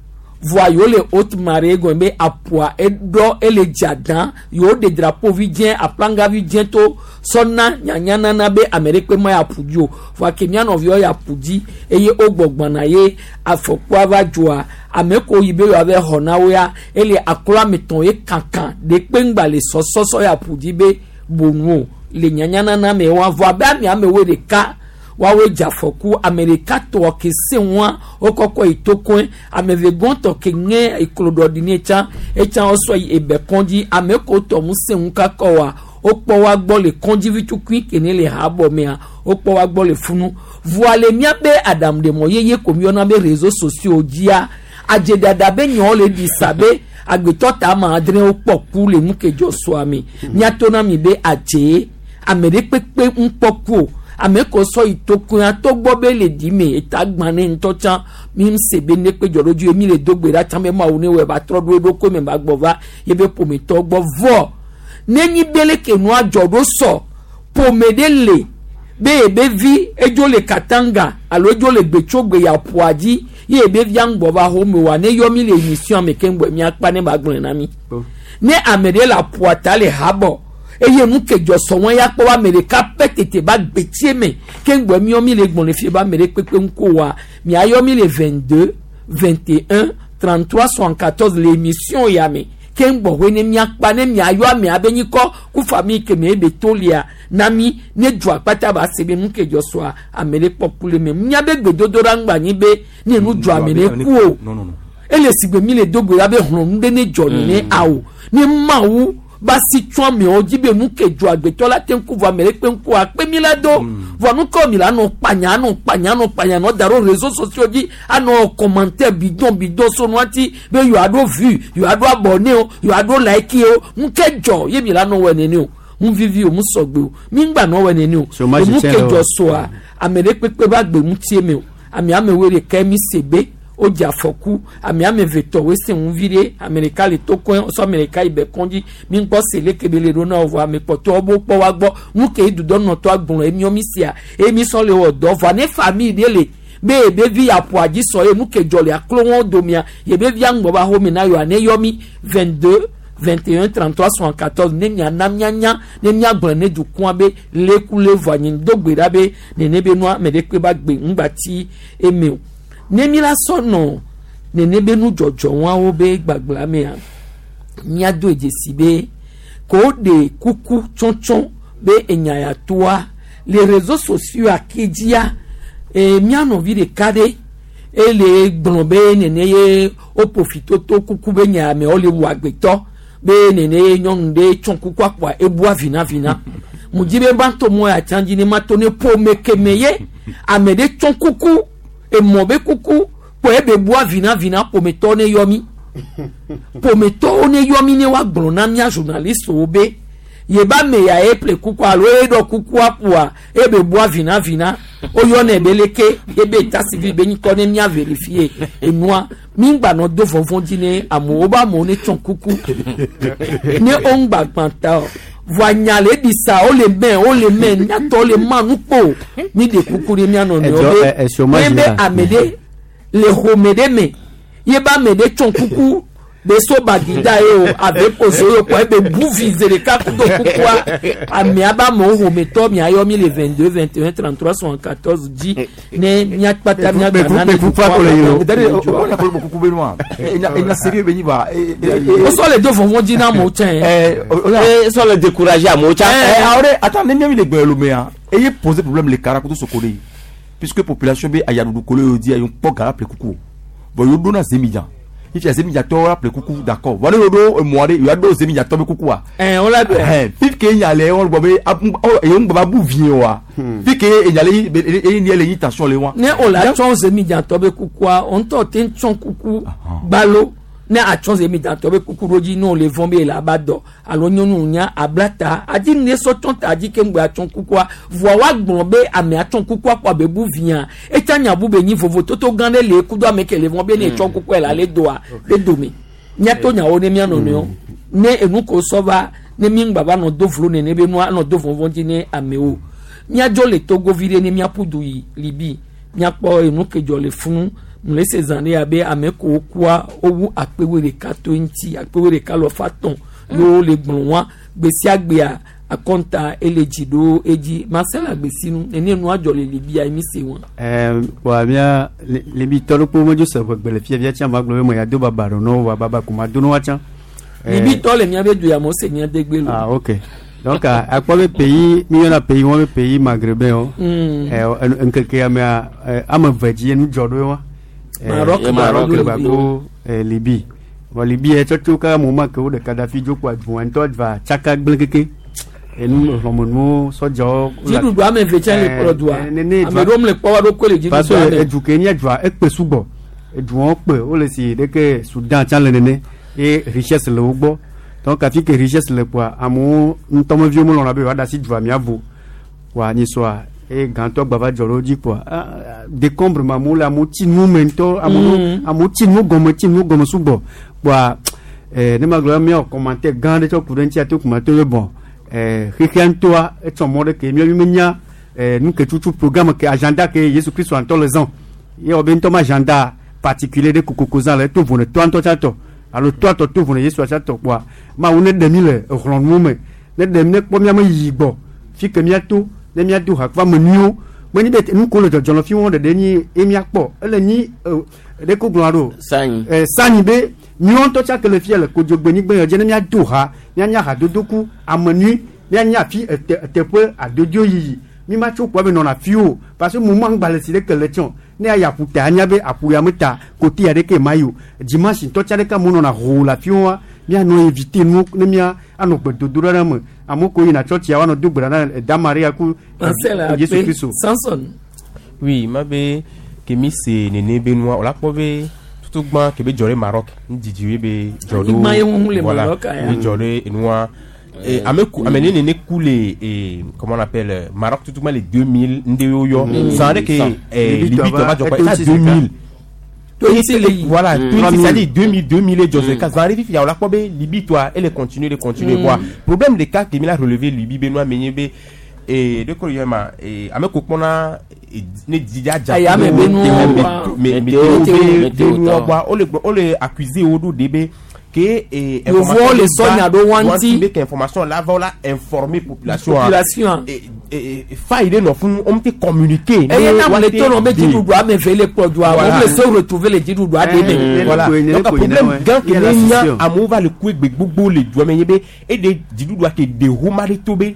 voa yewo le haute marée gɔme be aƒua eɖɔ ele dza dan yewo ɖe drapeau vi dzẽ aplanga vi dzẽ to sɔna nyanyanana be ame ɖe kpe ma ya ƒu dzi o voa ke mía nɔviwo ya ƒu dzi eye wo gbɔgbɔna ye afɔkua va dzoa ame ko yi be yewoa va xɔ na wo ya ele aklɔ ame tɔn ye kankan ɖe kpe ŋgba le sɔsɔsɔ ya ƒu dzi be bonu o le nyanyanana me wa voa be ame amewo ɖeka. Woawoe dze afɔku ame ɖeka tɔ ke se ŋua wokɔkɔ yi tokoe ame eve gɔntɔ ke ŋe eklo ɖɔ ɖi ne tsã etsã wosɔ yi ebe kɔndzi ame ko tɔ ŋu se ŋu kakɔ wa wokpɔ wa gbɔ le kɔndzi vitukui ke ne le habɔ mea wokpɔ wa gbɔ le funu voa le míabe aɖaŋuɖemɔ yeye ko míyɔna be réseaux sociaux dzia adzedada be nyawo le ɖi sa be agbetɔ ta ama adre wokpɔ ku le nu ke dzɔ sɔa me míato na mi be adze ame ɖe kpekpe ŋkpɔ ku o ame ko sɔ yi tokoea togbɔ be le di me eta gbã ne ŋutɔ tsã mi se be ne kpe dzɔ ɖo dzi ye mi le do gbe ɖa tsã be mawu ne wɔ ba trɔ ɖo eɖokui me ba gbɔ va ye be ƒometɔ gbɔ vɔ ne nyi be leke nua dzɔ ɖo sɔ ƒome ɖe le be ebe vi edzo le katanga alo edzo le gbetsogbe ya ƒoa dzi ye ebe via ŋgbɔ va xɔme wa ne yɔ mi le émission me ke ŋgbɔ miakpa ne ba gblɔe na mi ne ame ɖe le aƒoa ta le habɔ eye nu ke dzɔ sɔ wɔn ya kpɔ wa ame ɖeka pɛ tete ba gbetsie me ke ŋgbɔ miɔ mi le gbɔn le fie ba ame ɖe kpekpe ŋko wa miayɔ mi le 22 21 33 74 le émission ya me ke ŋgbɔ hoe ne miakpa ne miayɔ amea be nyikɔ ku famille ke me ebe to lia na mi ne du akpata ba se be nu ke dzɔ sɔa ame ɖe kpɔ ku le me miabe gbedodoɖa ŋgba nyi be ne nu dzɔ ame ɖe ku o ele si gbe mi le do gbe ɖa be hlɔ̃nu ɖe ne dzɔ nene awo ne mawu ba si tsɔ amewo dzi be nu ke dzɔ agbetɔ la te ŋku vɔ ame ɖe kpe ŋku akpe mi la do vɔ nu ke mi la nɔ kpanya anɔ kpanya anɔ kpanya nɔ da ɖo réseaux sociaux dzi anɔ commentaire bidon bidon so nua ti be yewoa ɖo vue yewoa ɖo abonné o yewoa ɖo like o nu ke dzɔ ye mi la nɔ wɔ nene o nu vivi o nu sɔgbe o mi ŋgba nɔ wɔ nene o Chômage enu ke tiɲɛ dzɔ soa ame ɖe kpekpe ba gbe ŋutie me o ame amewoe ɖeka mi se be wodze afɔku ame ame eve tɔ woe se ŋu vi ɖe ame ɖeka le tokoe sɔ ame ɖeka yi be kɔndzi mi ŋkpɔ se leke be le ɖo na wo vɔ ame kpɔtɔwo bo kpɔ wa gbɔ nu ke yi dudɔnɔtɔ agblɔ emiɔ mi sia eye mi sɔ le wɔ dɔ vɔa ne famille ɖe le be ebe vi aƒo adzi sɔ ye nu ke dzɔ le aklo wɔn domia ebe via ŋgbɔ ba xɔme na yewoa ne yɔ mi 22 21 33 74 ne miana mianya ne miagblɔ ne dukɔa be leku le vɔ anyi do gbe ɖa be nene be nua ame ɖe kpe ba gbe ŋgba ti eme o ne mi la sɔ nɔ nene be nudzɔdzɔ wɔawo be gbagblã mea miado dzesi be ko ɖe kuku tsɔtsɔ be enya ya toa le réseaux sociaux ake dzia e, mía nɔvi ɖeka ɖe ele gblɔ be nene ye wo profito to kuku be nya amewo le wu agbetɔ be nene ye nyɔnu ɖe tsɔ kuku akpɔa ebua vinavina mu dzi be ba to mɔ ya tsã dzi ne ma to ne ƒome keme ye ame ɖe tsɔ kuku emɔ be kuku kpɔ ebe bua vinavina ƒometɔ ne yɔ mi ƒometɔwo ne yɔ mi ne woagblɔ na mía journalistewo be yeba me ya ye ple kuku alo ye ɖɔ kukua ƒoa ebe bua vinavina woyɔnɛ be leke ebe état civil be nyikɔ ne mía vérifier enua mi ŋgba nɔ do vɔvɔ̃ dzi ne amewo be amewo ne tsɔ kuku ne wo ŋgba gbã ta o voa nya le ɖi sa wole mɛ wole mɛ nyatɔ le ma nu kpo mi ɖe kuku ɖe mía nɔnɔewo Ɛdzɔ, be ɛ, ɛ, chômage ne be la. ame ɖe le xɔme ɖe me ye be ame ɖe tsɔ kuku be so bagida ye o abe pozo ye o kɔ ebe bu vi ze ɖeka kudo kukua amea be amewo xɔmetɔ miayɔ mi le 22 21 33 74 dzi ne miakpata miagba nane kukua ko le yi o c'est-à-dire o na ko kuku be nua enya sérieux be nyi ba o sɔ le do vɔvɔ̃ dzi na amewo tsɛ Eh, sɔ le décourager amewo tsã. Eh, awore attends ne miami le gbɛ lomea eye poser problème le kara kudo soko de yi puisque population be ayaɖuɖu kolo yio di ayo kpɔ gara ple kuku bon yo do na zemidjan ifi zemidjatɔwo la ple kuku d'accord bon ne yo do emɔ ɖe yo do zemidjatɔ be kukua ɛ o la bɛ ɛhɛn fi ke nya le wɔn gbɔ be eyo ŋgbɔ ba bu vie wa fi ke enya le yi eyi ni le yi tension le wa. ne o la tsɔ zemidzatɔ be kukua o ŋutɔ te tsɔ kuku gbalo ne atsɔ zemidzatɔ be kuku ɖo dzi ne o le vɔn be le aba dɔ alo nyɔnu nya abla ta adi ne sɔ tsɔ ta dzi ke ŋgbɛ atsɔ kukua voa wa gblɔ be ame atsɔ kukua kɔ abe bu via etsa nya bu be nyi vovototo gã ɖe le kudo ame ke le vɔn be ne tsɔ kukua le ale doa be dome miato nyawo ne mia nɔnɔewo ne enu ko sɔ va ne mi ŋgba va nɔ do vlo nene be nua nɔ do vɔvɔ̃ dzi ne amewo miadzo le togo vi ɖe ne miaƒu du yi libi miakpɔ enu ke dzɔ le funu mu le se zã ɖe abe ame ko kua wowu akpewoe ɖeka to ŋuti akpewoe ɖeka lɔ fa tɔn yewo le gblɔ wa gbe sia gbea akɔnta ele dzi ɖo edzi marcel agbesinu nene nua dzɔ le libia mi se wa. Ɛɛ wa mía libi tɔ ɖo kpo medzo se ʋegbe le fia fia tsã ma gblɔ be me ya do baba ɖo nɔ wa baba ko ma do nɔ wa tsã. Libi tɔ le miabe du ya mo se mia degbe lo. Ah ok. Donc akpɔ be pays mi yɔna pays wɔn be pays maghrébin wo. Ɛ ŋkeke ya mea ame eve dzi nu dzɔ ɖo wa. Maroc Maroc Maroc gbagbo Libye. Vɔ Libye yɛ tsɔtso kaka mo ma ke wo ɖe Kadafi dzo kpoa dua ŋutɔ va tsaka gblẽ keke. Enu hlɔ̃menuwo sɔdzawo. Dziɖuɖu ame eve tsɛ le kplɔ dua. Nene Ame ɖewo le kpɔ wa ɖokui le dziɖuɖua parce que me. edu ke nye dua ekpe sugbɔ. Eduawo kpe wole si ɖeke Sudan tsã le nene ye richesse le wo gbɔ. Donc afi ke richesse le kpoa amewo ŋutɔmeviwo melɔ̃na be yewoaɖe asi dua mia vo. Kpoa nyisɔa eye gãtɔ gba va dzɔ ɖe wo dzi kpoa ah, ah, décombre ma amewo le amewo tsi nu me ŋutɔ amewo amewo tsi nu gɔme tsi nu gɔme sugbɔ kpoa ne ma gblɔ be míawɔ commentaire gã aɖe tsɔ ku ɖe ŋuti ate kuma to be bon xexea ŋutɔa etsɔ mɔ ɖe ke míawo menya nu ke tutu programme ke agenda ke Yesu Kristo ŋutɔ le zã ye wɔ be ŋutɔ ma agenda particulier ɖe kokoko zã le eto vo ne toa ŋutɔ tsã tɔ alo toa tɔ to vo ne Yesu tsã tɔ kpoa Mawu ne ɖe mí le exlɔ̃nuwo me ne ɖe mí ne kpɔ míame yiyi gbɔ fi ke míato ne míado ha kple ame nyuiwo menye be nu ko le dzɔdzɔ le fi wɔn ɖeɖe nyi ye míakpɔ ele nyi ɖe ko gblɔa ɖo Sanyi. Sanyi be míawo ŋutɔ tsã ke le fia le kodzogbenyigbe yɔ dzi ne míado ha míanya hadodo ku ame nyui míanya afi ete teƒe adodo yiyi mi ma tso kpɔ be nɔna fi o parce que mo ma ŋgba le si ɖeke le tsɔ ne ayi aƒuta anya be aƒu ya me ta kote ya ɖeke ma yi o dimanche ŋutɔ tsa ɖeka amewo nɔna hoo le afi wa míanɔ éviter nuwo ne mía anɔ gbedodo ɖe me amewo ko yina tsɔtsia woanɔ do gbe ɖa na da Maria ku Marcel Yesu Akpe Kristo. Samson. Oui, ma be ke mi se nene be nua o la kpɔ be tutu gbã ke be dzɔ ɖe Maroc ŋdidi ye be dzɔ ɖo Anyigba ye ŋuŋu le voilà Maroc aya. be dzɔ ɖe enua ame ku ame ne nene ku le comment on appelle Maroc tutu gbã le 2000 ŋɖe wo yɔ zan ɖe ke Cent. Libye Libye tɔ va dzɔ kpɔ eto esa ŋuti 2000 Toyisi le yi. Voilà, 3000. c'est-à-dire 2000, 2000 et Joseph. Zan ɖe fifia o la kpɔ be Libye tɔa ele continuer de continuer voir. Problème de cas ke mi la relever Libye be nua me nye be de ko yɔ ma ame ko kpɔna ne dzidza dza Aya me be nuwo wa. météo Météo, be météo be nuwo tɔ. wa o le gblɔ o le accuser wo ɖo de be ke Yevuwo le sɔ nya ɖo wa ŋuti. be ke information la va wo la informer population Population. Faille ɖe nɔ fún wo te communiquer. Eye na le to nɔ be dziɖuɖu ame eve le kplɔ dua Voilà. wo le se retrouver le dziɖuɖua ɖe me. Voilà, donc problème gã ke ne nya amewo va le ku egbe gbogbo le dua me nye be eɖe dziɖuɖua ke ɖe homa ɖe to be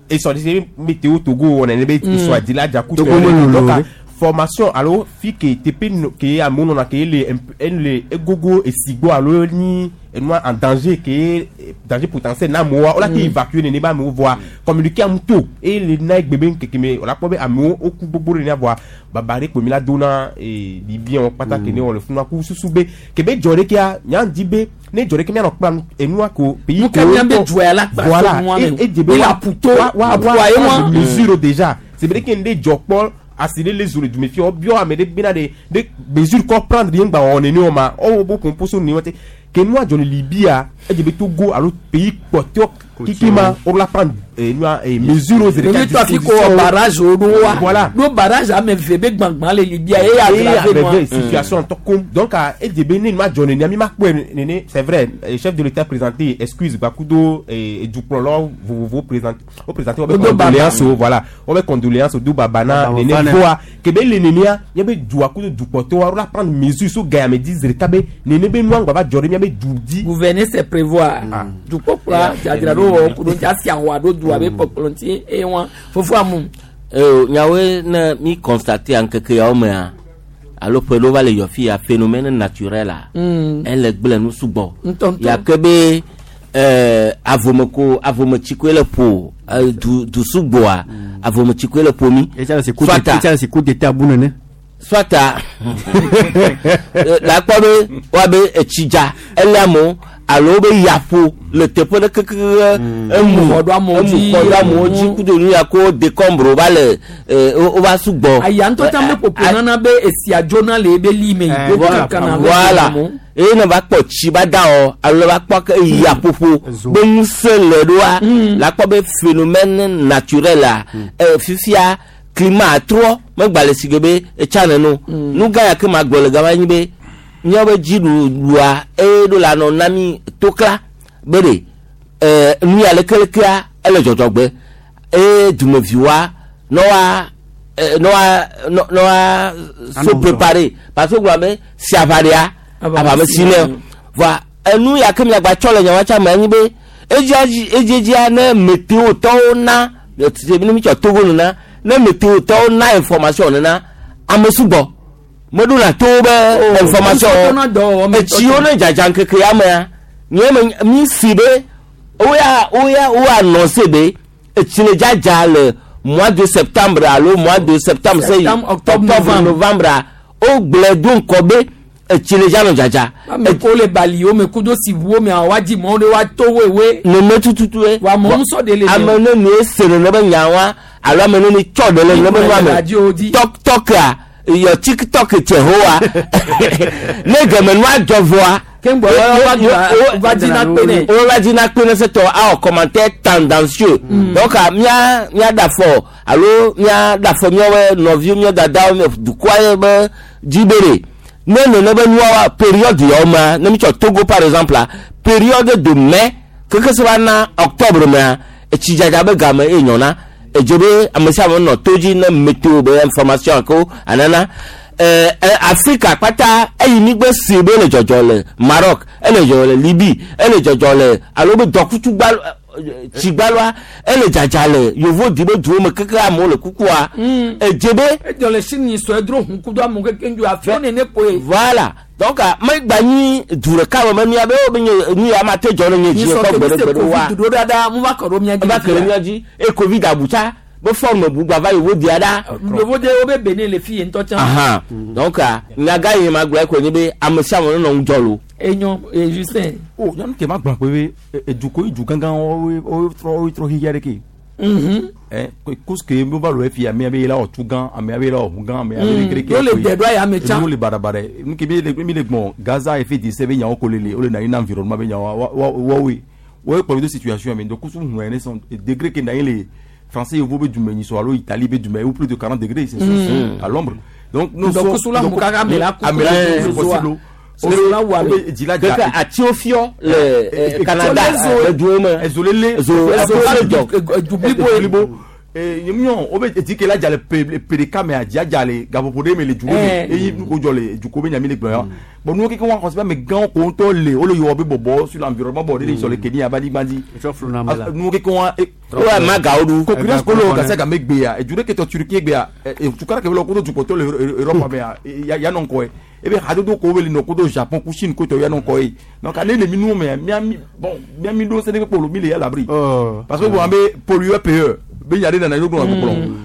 esɔ de se météo Togo wɔ nene be esɔ adi la dza ku Togo me lolo donc ɖe. Formation alo fi ke teƒe no ke amewo nɔna ke ele ele egogo esi gbɔ alo nyi enua en danger ke danger potentiel na amewoa wola te évacuer nene be amewo vɔa communiquer amu to eye le na egbe be ŋkeke me wola kpɔ be amewo woku gbogbo ɖe nea vɔa baba ɖe kpo mi la do na Libyen kpata ke ne wɔ le funu ku susu be ke be dzɔ ɖe kea nya di be ne dzɔ ɖe ke mianɔ kpla enua ko pays Nu ke mía be dua ya la kpa voilà so nua me. E dze be Mi le aƒuto, aƒua ye wa. Mesure déjà c'est vrai ke ne dzɔ kpɔ asi ɖe le zo le dume fia wobiɔ ame ɖe bena ɖe ɖe mesure kɔ prendre ye ŋgba wɔ nene o ma ɔwɔ bo composo ne wɔte ke nua dzɔ le Libya edze be Togo alo pays kpɔtɔ kiki ma wo la prendre nua mesure wo Ɖevi tɔ afi ko wɔ barrage wo ɖo wa. Voilà. Ɖo barrage ame eve be gbãgbã le Libya ye aggravé nua. Aggravé situation tɔ kom donc edze be ne nua dzɔ nene mi ma kpɔe nene c'est vrai chef de l'état présenté excuse gbakudo dukplɔlawo vovovo présenté o présenté wo be Wodo baba. Condoléance o voilà wo be condoléance o do baba na Baba nene fana. voa ke be le nenea mía be dua kudo dukpɔtɔwo wo la prendre mesure so gaya me di zereka be nene be nua ŋgba va dzɔ ɖe mía be du dzi. Gouverner c'est prévoir. Dukpɔkplɔa dzadzra ɖo wɔ ku ɖo ŋuti asi ahua ɖo dua be kpɔkplɔ ŋuti eye wa fofo amu. Nyawoe ne mi constate ŋkeke yawo mea alo ƒe ɖewo va le yɔ fi ya phénomène naturel a ele gblẽ nu sugbɔ. Ŋutɔŋutɔ. Yake be avome ko avome koe le ƒo du du sugbɔa avome koe le ƒo mi. Soit Etsa si coup d'état bu nene. Soit la kpɔ be woabe etsi dza ele amewo alo be yaƒo le teƒe ɖe keke emu Xɔ ɖo amewo emu dzi. xɔ ɖo amewo dzi kudo nu ya ko décombre va le wo va sugbɔ. Aya ŋutɔ tsã be ƒoƒo nana be esia dzona le ebe li me. Wo kakana be Voilà, amewo. Eye ne va kpɔ tsi ba da wɔ alo ne va kpɔ ke yaƒoƒo be ŋusẽ le ɖoa la kpɔ be phénomène naturel a fifia climat trɔ megba le si ge be etsa neno nu gã ya ke ma gblɔ le gama nyi be míawo be dziɖuɖua eye ɖo la nɔ na mi tokla be ɖe nu ya lekelekea ele dzɔdzɔgbe eye dumeviwoa ne wa ne wa ne wa so Anɔ préparer parce que gblɔ be si aʋa ɖea Aʋa aʋa me si nɛ si nɛ. voa enu ya ke miagba tsɔ le nyawa tsa me anyi be Edzedzia ne météo tɔwo na ne mi tsɔ Togo nena ne météo tɔwo na information nena ame sugbɔ meɖo na to be information etsiwo ne dzadza ŋkeke ya mea nye me mi si be woya woya wo annoncé be etsi le dzadza le mois de septembre alo mois de septembre se Septembre, octobre, novembre wogblẽ do ŋkɔ be etsi le dza nɔ dzadza. Ame ko le baliwo me kudo siʋuwo me wa dzi mɔ ɖe wa to wewe. Nene tututu ye. Wa mɔ ŋusɔ de le. Ame ne ne se nene be nya wa alo ame ne ne tsɔ ɖe le nene be nua me tɔk tɔkea yɔ tiktok tse hoa ne gɛmɛ nua dzɔ vɔa. Keŋgbɔ wa dzi na kpe nɛ. Wo va dzi na kpe ne setɔ awɔ commentaire tendancieux. Donc mía mía da fɔ alo mía da fɔ míawo nɔviwo míawo dadawo dukɔa ye be dzi be ɖe ne nene be nua wa période yawo mea ne mi tsɔ Togo par exemple la période de mai keke se va na octobre mea etsi dzadza be game ye nyɔna edze be ame sia ame nɔ to dzi ne météo be information ko anana ɛɛ Afrika kpata eyi mi gbe si be le dzɔdzɔ le Maroc ele dzɔdzɔ le Libye ele dzɔdzɔ le alo be dɔkutu gba tsigbaloa ele dzadza le yovo di be duwo me keke amewo le kukua edze be. Edzɔ le sini sɔ edro hun kudo amewo keke ŋdu afiwo nene koe. Voilà donc megba nyi du ɖeka me me mia be wo be nye nu ya ma te dzɔ ne nye dzi kpɔ gbe ɖe gbe ɖe wa. Covid ɖo ɖaɖa mu va kɔ ɖo mia dzi. Va kɔ ɖo mia dzi e covid abu tsa be forme bu gba va yovo dia ɖa. Yovo de wo be Benin le fi ye ŋutɔ tsã. Ahan donc nyaga yi ma gblɔ ko nye be ame sia ame nɔ ŋudzɔ lo. Enyo e Justin. O nyɔnu ke ma gblɔ pe be edukɔ yi du gãgã wo wo trɔ wo trɔ xixia ɖe ke. Cause que mo va lo efi ame abe la ɔtu gã ame abe la ɔhu gã ame abe kereke. Yóò le dɛ do aya me tsã. Enu le barabara nu ke mi le mi le gbɔn Gaza efe di se be nyawo ko lele o le na yi na environnement be nyawo wa wa wa woe wo kplɔ do situation mi donc kusu hun ene sɔn degré ke na yi le français yovo be dume nyi so alo Italie be dume ou plus de 40 degrés c'est à l'ombre donc nous sommes donc la mukaga amela amela c'est possible. Keke atiwo fiɔ le Canada le duwo me. Ezolele ezo ezo blibo nyɔ o bɛ eti ke la dza le pe pe ɖeka mea dzia dza le gaƒoƒo ɖe me le duwo me eyi nu ko dzɔ le dukɔ be nyami le gblɔ ya bon nuwo keke wa xɔse be ame gãwo ko ŋutɔ le wo le yɔ be bɔbɔ sur l'environnement bɔ de le sɔ le Kenya ba anyigba dzi nuwo keke wa. Wo ma gawo ɖu. Concurrence ko le wɔ gase game gbea edu ɖe ke tɔ Turquie gbea tukara ke be le kodo dukɔtɔ le Europe mea ya nɔ ŋkɔe ebe hadodo ko be le nɔ kodo Japon ku Chine ko tɔ ya nɔ ŋkɔ ye donc ale le mi nuwo mea mia mi bon mia mi ɖo sene kpolo mi le ya l'abri parce que bon an be pollueur payeur be nya ɖe nana yi ɖo gbɔlɔ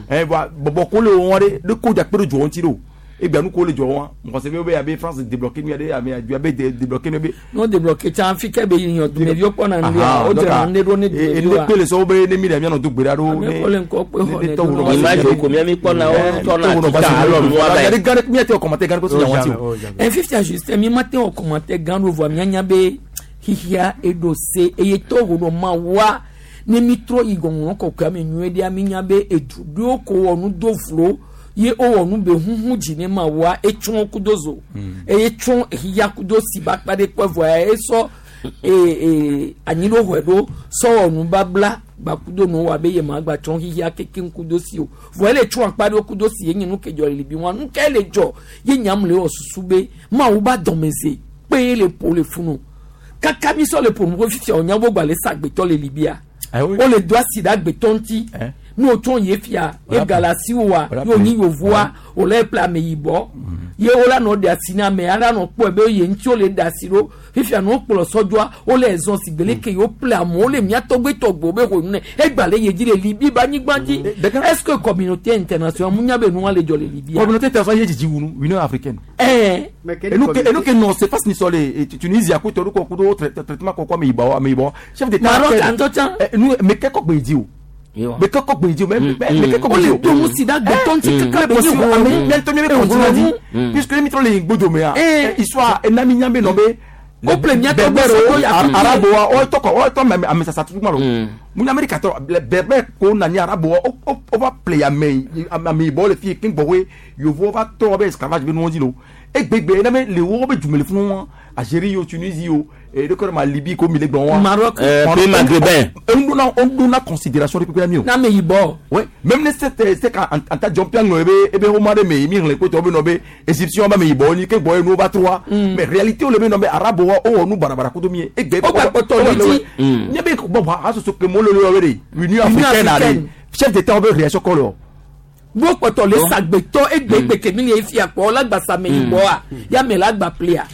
ɛ bɔbɔ ko le wɔn ɖe ɖe ko dza kpe ɖe dzɔ ŋuti ɖo egbea nu ko le dzɔ wɔn mɔgɔ se be abe France débloqué nu ya ɖe ame adu abe débloqué nu be. N'o débloqué tsã fi ke be yiyan dumeviwo kpɔna nu ya o dzra nu ɖo ne dumeviwo wa. Ene kpe le sɔwo be ne mi ɖe mianɔ do gbe ɖa ɖo ne ko le ŋkɔ kpe xɔ ne tɔwo Image ko mia mi kpɔna wo tɔna tita alɔ nua ba ye. Gã ɖe miate wɔ commentaire gã ɖe ko so nya wɔn ti o. Ɛ fifia Justin mi ma te wɔ commentaire gã ɖo vɔa mia nya be xixia eɖo se eye tɔwo ɖo ma wa ne mi trɔ yi gɔŋlɔ kɔkɔea me nyuie ɖea mi nya be edu ɖewo ko wɔ nu do vlo ye wowɔ nu be huhu dzi ne ma wa etsɔ kudo zo eye tsɔ xixia kudo si ba kpa ɖe kpɔ vɔa esɔ ee anyiɖoxɔe ɖo sɔwɔ nubabla gbakudo nu wa be ye ma gba tsɔ xixia kekeŋ kudo si o vɔ ele tsɔ akpa ɖewo kudo si ye nye nu ke dzɔ le libi wa nu ke le dzɔ ye nyam le wɔ susu be mawu ba dɔmeze kpe ye le ƒo le funu kaka mi sɔ le ƒo nu ko fifia o nya bo gba le sa agbetɔ le libia o le do asi ɖe agbetɔ ŋuti ne o tsɔ ye fia ye galasi wa ye o nyi yovoa o le ƒle ameyibɔ ye wo la nɔ ɖe asi na ame ala nɔ kpɔe be ye ŋuti wo le ɖe asi ɖo fifia ne wo kplɔ sɔdzɔa wo le zɔn si gbele ke yewo ƒle amewo le mía tɔgbe tɔgbewo be xɔ nu ne egba le ye dzi le Libi ba anyigba dzi est ce que communauté internationale mu nya be nua le dzɔ le Libia. Communauté internationale ye dzidzi wunu Union africaine. Ɛɛ. Enu ke nɔ se fasi ni sɔ le Tunisie ko tɔ ko kudo traitement kɔkɔ ameyibɔ ameyibɔ chef d'état. Maroc antɔ tsã. Nu meke kɔ gbe dzi o. Meke kɔ gbe dzi o mɛ meke kɔ gbe dzi o. O le to ŋusi ɖe agbetɔ ŋuti kaka be nyi ame miatɔ mi be continent dzi puisque mi trɔ le gbɔdome ya histoire ena mi nya be nɔ be. O ple miatɔ gbɛ sɔ arabowa o tɔ kɔ o tɔ ame sasa tutu ma lo. Mu Amerika tɔ le bɛbɛ ko nani arabu o o o va ple ame ame yibɔ le fi keŋ gbɔwoe yovowo va trɔ be esclavage be nuwo dzi lo. Egbegbe ne be le wo be dume le funu wa Algérie o Tunisie o ɖeke ma Libye ko mi le gbɔn wa. Maroc. Pays maghrébin. On donna considération de peuple mi o. N'ame yibɔ. Ouais, même ne c'est c'est quand en ta jump yang ebe ebe homa de me mi ngle ko to be no be égyptien ba me yibɔ ni ke gbɔ nu ba trois. Mais réalité o le be no be arabe wa o nu barabara ko to mi e gbe O gba kpɔtɔ li dzi. Nye be bon a so so ke mo le le we de Union africaine africaine. are chef d'état be réaction ko lo. Bó kpɔtɔ le sagbetɔ egbegbe kemi le fia kpɔ lagbasa me yibɔa yame la gba plia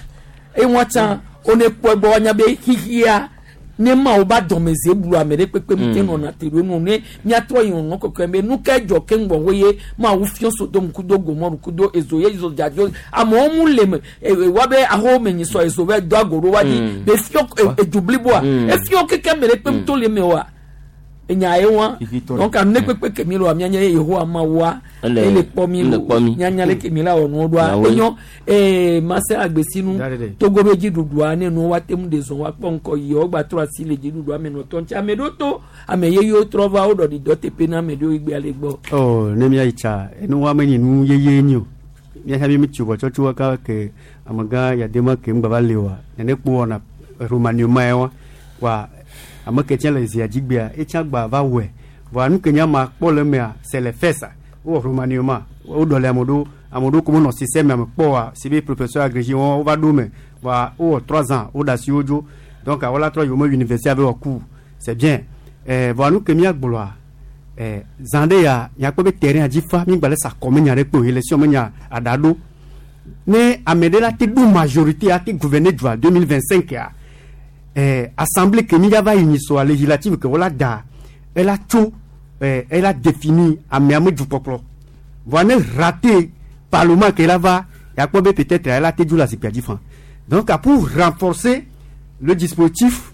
ewɔn tsã one kpɔ egbɔ wanya be xixia ne ma wo ba dɔmeze blu ame ɖe kpekpe mu te nɔna te ɖo nu ne miatrɔ yi ŋɔ kɔkɔe be nu ke dzɔ ke ŋgbɔ wo ye ma wo fiɔ Sodom kudo Gomɔru kudo ezo ye ezo dzadzo amewo mu le me e wa be aho me nyi sɔ ezo be do ago ɖo wa dzi be fiɔ edu bliboa efiɔ keke ame ɖe kpe mu to le me wa enya ye wa donc anu ne kpekpe kemi lo mianya ye Yehowa ma wa ele kpɔ mi ele kpɔ mi. mianya le kemi la wɔ nuwo ɖoa Nawe. enyo ee mase agbesinu Togo be dziɖuɖua ne nuwo wa te ŋu de zɔn wa kpɔ ŋkɔ yi wo gba trɔ asi le dziɖuɖua me nɔtɔ ŋuti ame ɖewo to ame yeyewo trɔ va wo ɖɔɖi dɔ teƒe na ame ɖewo egbea le gbɔ. Oh, ne mia yi tsa enu wa me nyi nu yeye nyi o mia mi tsi bɔ tsɔtsi wa ka ke amegã yadema ke ŋgba va le wa nene kpo wɔna romanioma ya wa wa ame ke tsɛ le zia dzigbea etsã gba va wɔe vɔa nu ke nye ama kpɔ le mea c'est le fait ça wowɔ romanioma woɖɔ le ame ɖewo ame ɖewo ko menɔ système me kpɔ wa si be professeur agrégé wɔn wova ɖo me vɔa wowɔ 3 ans woɖe asi wo dzo donc wola trɔ yi wo me université ave wɔ cours, c'est bien. Vɔa nu ke mia gblɔa zã ɖe ya miakpɔ be terrain dzi fa mi gba le sa kɔ me nya ɖe kpe o élection me nya aɖa ɖo ne ame ɖe la te ɖo majorité a te gouverner dua 2025 ya assemblée ke mi va yi nyisɔa législative ke wola da ela tso ela définir amea me dukpɔkplɔ voa ne raté parlement ke la va yakpɔ be peut-être ela te dzo le zikpuia dzi fan. Donc pour renforcer le dispositif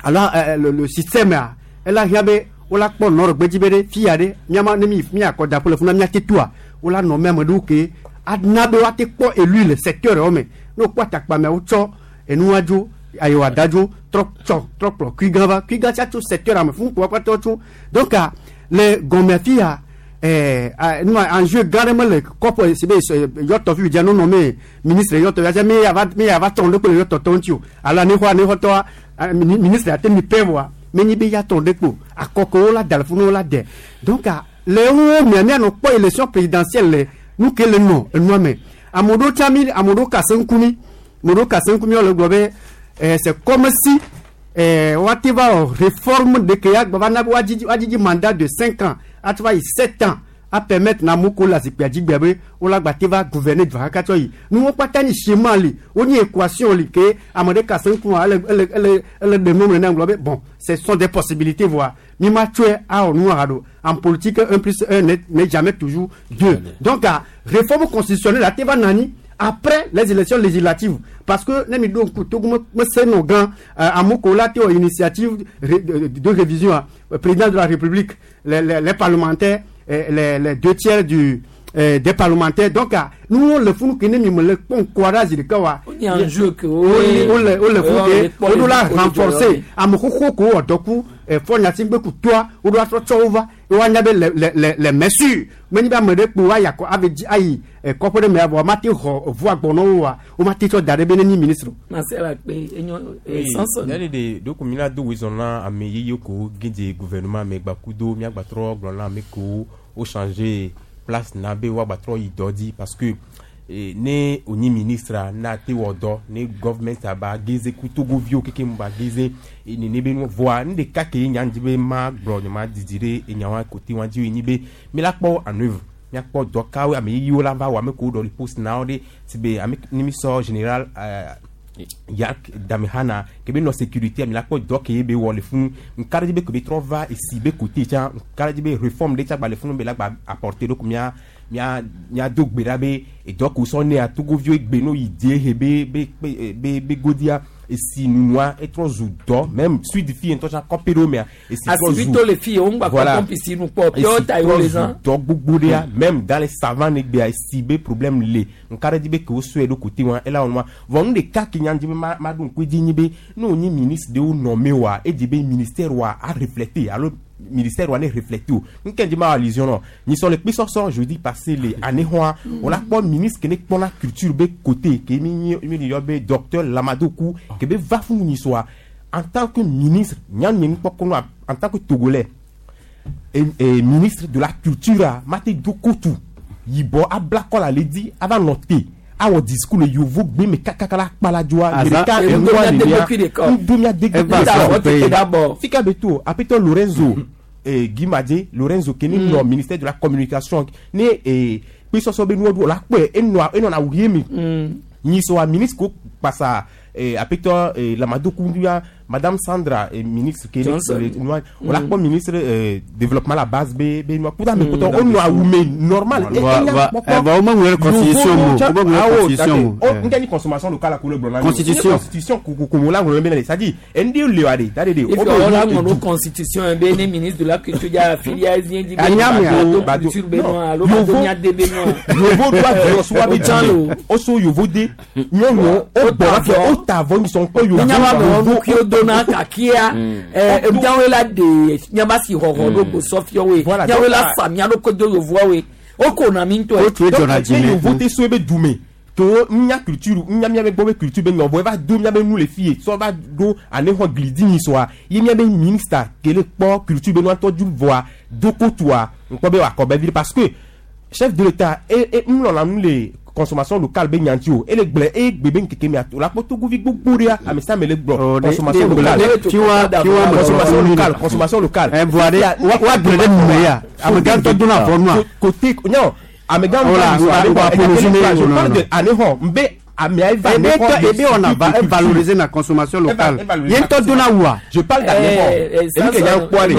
alors le système a ela hiã be wola kpɔ nɔrɔ gbedzi be ɖe fia ɖe miama ne mi miakɔ daƒo le funa miate toa wola nɔ mɛ ame ɖewo ke ana be woate kpɔ élu le secteur yawo me ne wokpɔ atakpamea wotsɔ enua dzo ayiwa da dzo trɔ tsɔ trɔ kplɔ kui gã va kui gã tsa tso secteur ame fún kpɔ kpatɔ tso. Donc le gɔmea fia nua enjeu gã ɖe mele kɔpɔ si be yɔtɔ fi dza nonɔ me ministre yɔtɔ ya mi ya va mi ya va tɔn ɖe kple yɔtɔ tɔ ŋuti o alo anixɔ anixɔtɔa ministre ate mi pɛ voa menyi be ya tɔn ɖe kpo akɔkɔwo la da le funu la dɛ. Donc le wo mia mianɔ kpɔ élection présidentielle le nu ke le nɔ enua me ame ɖewo tsa mi ame ɖewo kase ŋku mi ame ɖewo kase ŋku mi wole gblɔ be c'est comme si woate va wɔ réforme de ke ya gbɔ va na be woadzidzi woadzidzi mandat de 5 ans ati va yi 7 ans a permettre na amewo ko le zikpuia dzi gbea be wola gba te va gouverner dua kaka tsɔ yi nuwo kpata ni schéma li wonye équation li ke ame ɖe kase ŋku ele ele ele ele ɖe nu me na gblɔ be bon, ce sont des possibilités voa mi ma tsɔe awɔ nu haɖo. En politique, un plus un n'est jamais toujours deux. Donc ah, réforme constitutionnelle ate va nani après les élections législatives parce que ne mi ɖo ŋku Togo me se nɔ gã amewo ko la te wɔ initiative de révision ah, président de la République, les parlementaires, les deux tiers des parlementaires. Donc ah, nous le funu ke ne mi me le kpɔ ŋkua ɖe zi ɖeka wa Ó ní enjeu ke wole wole funu ke woɖo la renforcer ame xoxo ko wɔ dɔ ku fɔ nyati gbe ku toa woɖo atrɔ tsɔ wo va woanya be le mesure menyi be ame ɖe kpo ayi akɔ ave dzi ayi kɔƒe ɖe me vɔ mate xɔ ʋua gbɔ na wo wa wo mate tsɔ da ɖe be ne nyi ministre o. Marcel Akpe enyo Samson. Yali de donc mi la do wezɔn na ame yeye ko gɛdze gouvernement me gbakudo miagbatrɔ gblɔ na ame ko o changer place na be woagbatrɔ yi dɔ dzi parce que ne onyi ministre na te wɔ dɔ ne government aba geze ku Togoviwo keke mu ba geze nene be nu voa nu ɖeka ke nya ŋdzi be ma gblɔ nye ma didi ɖe enyawa kote wa dzi enyi be mi la kpɔ en œuvre miakpɔ dɔ kawo ame yeyewo la va wɔ ame kewo ɖɔ li poste na wo ɖe si be ame ne mi sɔ général Yak Damehana ke be nɔ sécurité mi la kpɔ dɔ ke be wɔ le funu nka ɖe dzi be ke be trɔ va esi be côté tsã nka ɖe dzi be réforme ɖe tsã gba le funu be la gba apporter donc mia mia mia do gbe ɖa be edɔ ko sɔ nea Togoviwo egbe no yi die he be be be be be godia. Esi nunua etrɔ zu dɔ même suite fi ŋutɔ tsã kɔpe ɖewo mea esi trɔ zu. Asibito le fi ye wo ŋgba kpɔ pɔmpi si nu kpɔ pure water ye wo le zã. Dɔ gbogbo ɖea même dans les savanes egbea esi be problème le ŋka ɖe dzi be ke wosɔe ɖo kote wa ela wɔnua vɔ nu ɖeka ke nya dzi be ma ma ɖo ŋku edzi nyi be ne wonye ministre ɖewo nɔ me wa edzi be ministère wa a refléter alo ministère wa ne refléter o nke dzi ma wɔ allusion nɔ nyisɔ le kpisɔsɔ jeudi passé le anexɔa wòla kpɔ ministre ke ne kpɔna culture be côté ke mi nyi mi yɔ be docteur Lamadokou ke be va fún nyisɔa en tant que ministre nyanu nukpɔkɔnu en tant que togolais et ministre de la culture a ma te do kotu yibɔ abla kɔ la le di ava nɔ te awɔ discours le yovo gbe me kakaka la kpala dzoa ɖeka enua nenea ŋdo mia degbe fika be to apetɔ Lorenzo Guimadé Lorenzo ke ne nɔ ministère de la communication ne kpesɔsɔ be nuwo ɖo la kpɔe enɔa enɔna awu ye mi nyisɔa ministre ko kpasa apetɔ Lamadokou ya madame Sandra ministre ke ne nua wòla kpɔ ministre développement la base be be nua kuda me kutɔ o nɔ awu me normal. Eva o ma ŋlɔ constitution mo o ma ŋlɔ constitution mo. O n kɛ ni consommation locale ko le gblɔ na mi. Constitution. Constitution ko ko la ŋlɔ bɛ na de c'est à dire ndi le wa de da de de. If o la ŋlɔ constitution be ne ministre de la culture ya filia ezien di be bado culture be nua alo bado mia de be nua. Yovo do avɔ so wa be dzi o so yovo de nyɔnu o gbɔ fɛ o ta avɔ nisɔn kpɔ yovo. Nyaba bɛ wɔn kuo dona kakia miawoe la de miaba si xɔxɔ ɖo gbosɔfiɔwoe miawoe la fa mia ɖo kodo yovoawoe o ko na mi ŋutɔ. O tun ye jɔna jimɛ. Yovo te so ebe dume to nya culture nya mia be gbɔ be culture be nyɔbɔ eva do mia be nu le fie sɔ va do ane xɔ glidi nyi sɔa ye mia be ministre kele kpɔ culture be nua tɔ dzu vɔa do kotua ŋkpɔ be wòakɔ be vi parce que chef de l'état e ŋlɔna nu le consommation locale be nyanti o ele gblẽ eye gbe be nkeke mea o la kpɔ togovi gbogbo ɖea ame sia ame le gblɔ consommation locale consommation locale consommation locale. Ɛ bɔn ale wa gblẽ ɖe nume ya amegã tɔ donna avɔ nua. Côté non amegã tɔ je parle de anehɔ n bɛ amea eva anehɔ. Ebe on a valoriser la consommation locale ye ŋutɔ donna wua. Je parle d'anehɔ enu ke nya kpɔ ale.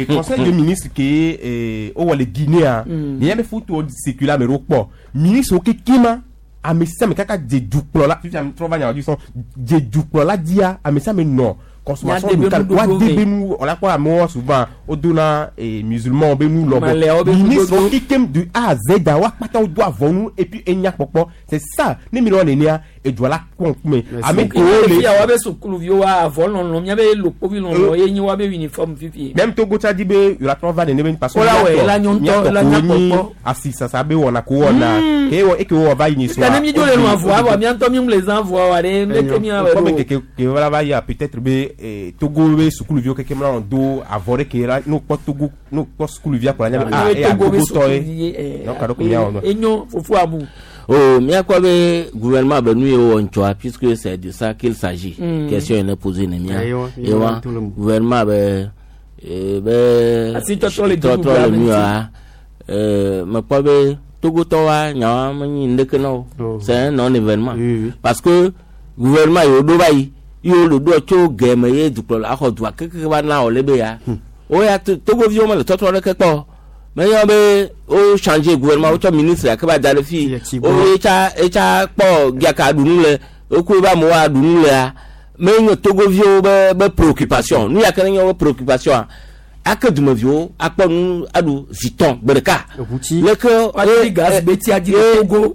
Conseil de ministre ke o wɔ le Guinée ni yɛn bɛ foto circuler ame ɖewo kpɔ ministre wo keke ma ame sia ame kaka dze dukplɔla fifi ame trɔ va nya dzi sɔn dze dukplɔla dzia ame sia ame nɔ consommation locale wa de be nu on a kpɔ amewo souvent o donna musulman be nu lɔbɔ ministre wo kekem de A à Z wa kpata wo do avɔ nu et puis enya kpɔkpɔ c'est ça ne mi le wɔ nenea edua la kpɔ ŋkume ame kewo le. Fia wa be sukuluviwo wa avɔ lɔlɔ mia be lokpovi lɔlɔ ye nyi wa be uniforme fifi. Même Togo tsa di be yɔrɔ trɔ va nene be parce que miatɔ ko nyi asi sasa be wɔna ko wɔna ke wɔ eke wɔ va yi nyi so. Tani mi dzo le nu avɔa vɔ miatɔ mi le zã avɔa wa ɖe leke mia wɔ ɖo. Kɔmi keke ke wala va yia peut-être be Togo be sukuluviwo keke mla do avɔ ɖe ke la n'o kpɔ Togo n'o kpɔ sukuluvia kplɔ anya be ah eya Togo tɔ ye donc alo ko mia wɔ nɔ. Enyo fofo amu. Oh, mia quoi be gouvernement be nu ye wɔ ŋtsɔa puisque c'est de ça qu'il s'agit. Question yene posée ne mia. Ewa gouvernement be be asi tɔtrɔ le tɔtrɔ le nua me kpɔ be Togotɔwoa nyawoa menyi ŋɖeke na wo. C'est un non événement. Parce que gouvernement yi wo ɖo va yi yi wo le ɖoa tso gɛme ye dukplɔla xɔ dua keke va na wòle be ya. Wo ya Togoviwo mele tɔtrɔ ɖeke kpɔ. Mais yɔ be o changer gouvernement o tsɔ ministre ake ba da ɖe fi o etsa etsa kpɔ giaka ɖunu le oku ebe amewo aɖunu lea me nye Togoviwo be be préoccupation nu ya ke ne nye be préoccupation ake dumeviwo akpɔ nu aɖu zitɔn gbe ɖeka leke woaɖi gaz be tia dzi le Togo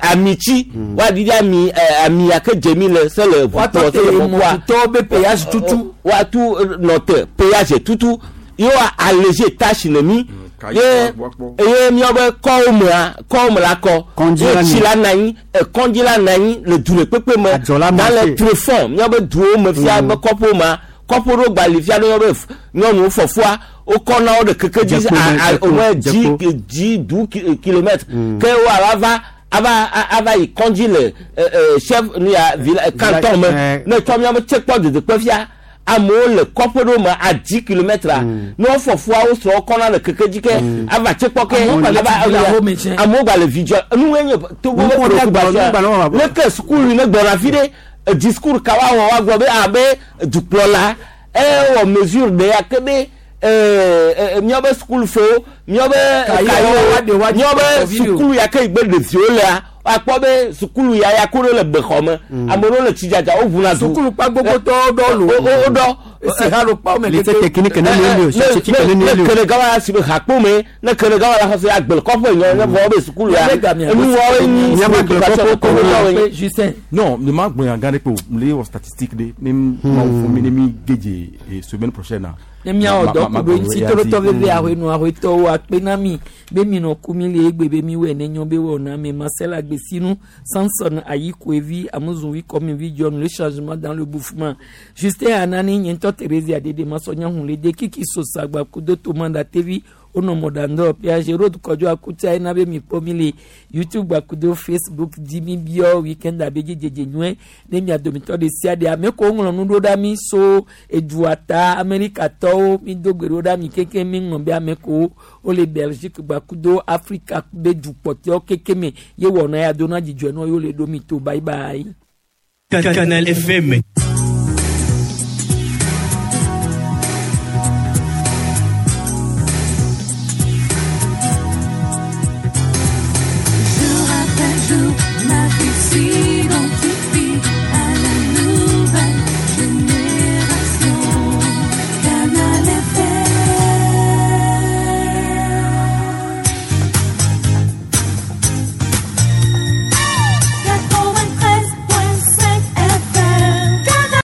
amitsi woaɖi ami ami ake dzemi le se le ʋutɔ se le fɔkua woatɔ be péage tutu woatu nɔte péage tutu ye woa alléger tâche ne mi ye ye miawo kɔwo mea kɔwo me la kɔ ye tsi la na anyi kɔndzi la na anyi le du le kpekpe me dans le tréfonds miawo duwo me fia be kɔƒewo mea kɔƒe ɖo gbali fia ɖe miawo be nyɔnuwo fɔfua wokɔna wo ɖe keke dzi au moins 10 12 kilomètres ke wo ava ava ava yi kɔndzi le chef nu ya village canton me ne tsɔ miawo tse kpɔ dedekpe fia amewo le kɔƒe ɖewo me a 10 kilomètres ne wofɔfua wo srɔ̃wo kɔna le keke dzi ke ava tse kpɔ ke amewo gba le vidzɔ nu nye Togo be préoccupation leke sukulu ne gbɔna fi ɖe discours ka woawɔ woagblɔ be abe dukplɔla ewɔ mesure ɖe ya ke be Míabe sukulufewo, míabe kayiwo, míabe sukulu ya ke yi gbe ɖeviwo lea, akpɔ be sukulu ya ya ko ɖe le bexɔ me, ame ɖewo le tsidzadza woʋuna du. Sukulu kpa gbogbotɔwo ɖɔ lo. Wo ɖɔ. Esi ha ɖo kpa me Lycée technique ne mi li o, scientifique ne mi li o. Ne kele gawa la si be hakpo me, ne kele gawa la xɔse agbele kɔƒe nyɔ ne vɔ be sukulu ya. Enuwɔwo nyi Miabe Justin. Non, ne ma gblɔ nya gã ɖe kpe o, le wɔ statistique ɖe ne mawu fún mi ne mi gedze semaine prochaine na. Ne miawɔ dɔ ku ɖo ŋuti tolotɔ veve ahoenu ahoetɔwo akpe na mi be minɔ ku mi le egbe be miwɔe ne nyɔ be wɔ na mi Marcel Agbesinu Samson Ayikoevi Amuzunvi Kɔmivi John, le changement dans le bouffement Justin Anani nye ŋutɔ Thérésia Dede Masɔnya Hunlede Kiki Sosagba kudo Tomanda TV wonɔ mɔɖaŋdɔ Piage Road Kɔdzo Akutia ena be mikpɔ mi le YouTube gbakudo Facebook dzi. Mi biɔ weekend abe dzidzedze nyuie ne mia dometɔ ɖe sia ɖe. Ame ko ŋlɔ nu ɖo ɖa mi so edua ta Amerikatɔwo, mi do gbe ɖo ɖa mi kekeŋ. Mi ŋlɔ be ame ko wole Belgique gbakudo Afrika be du kpɔtɔewo keke me ye wɔna ya dona dzidzɔe nɔ yewo le ɖo mi to. Bye bye. Canal FM.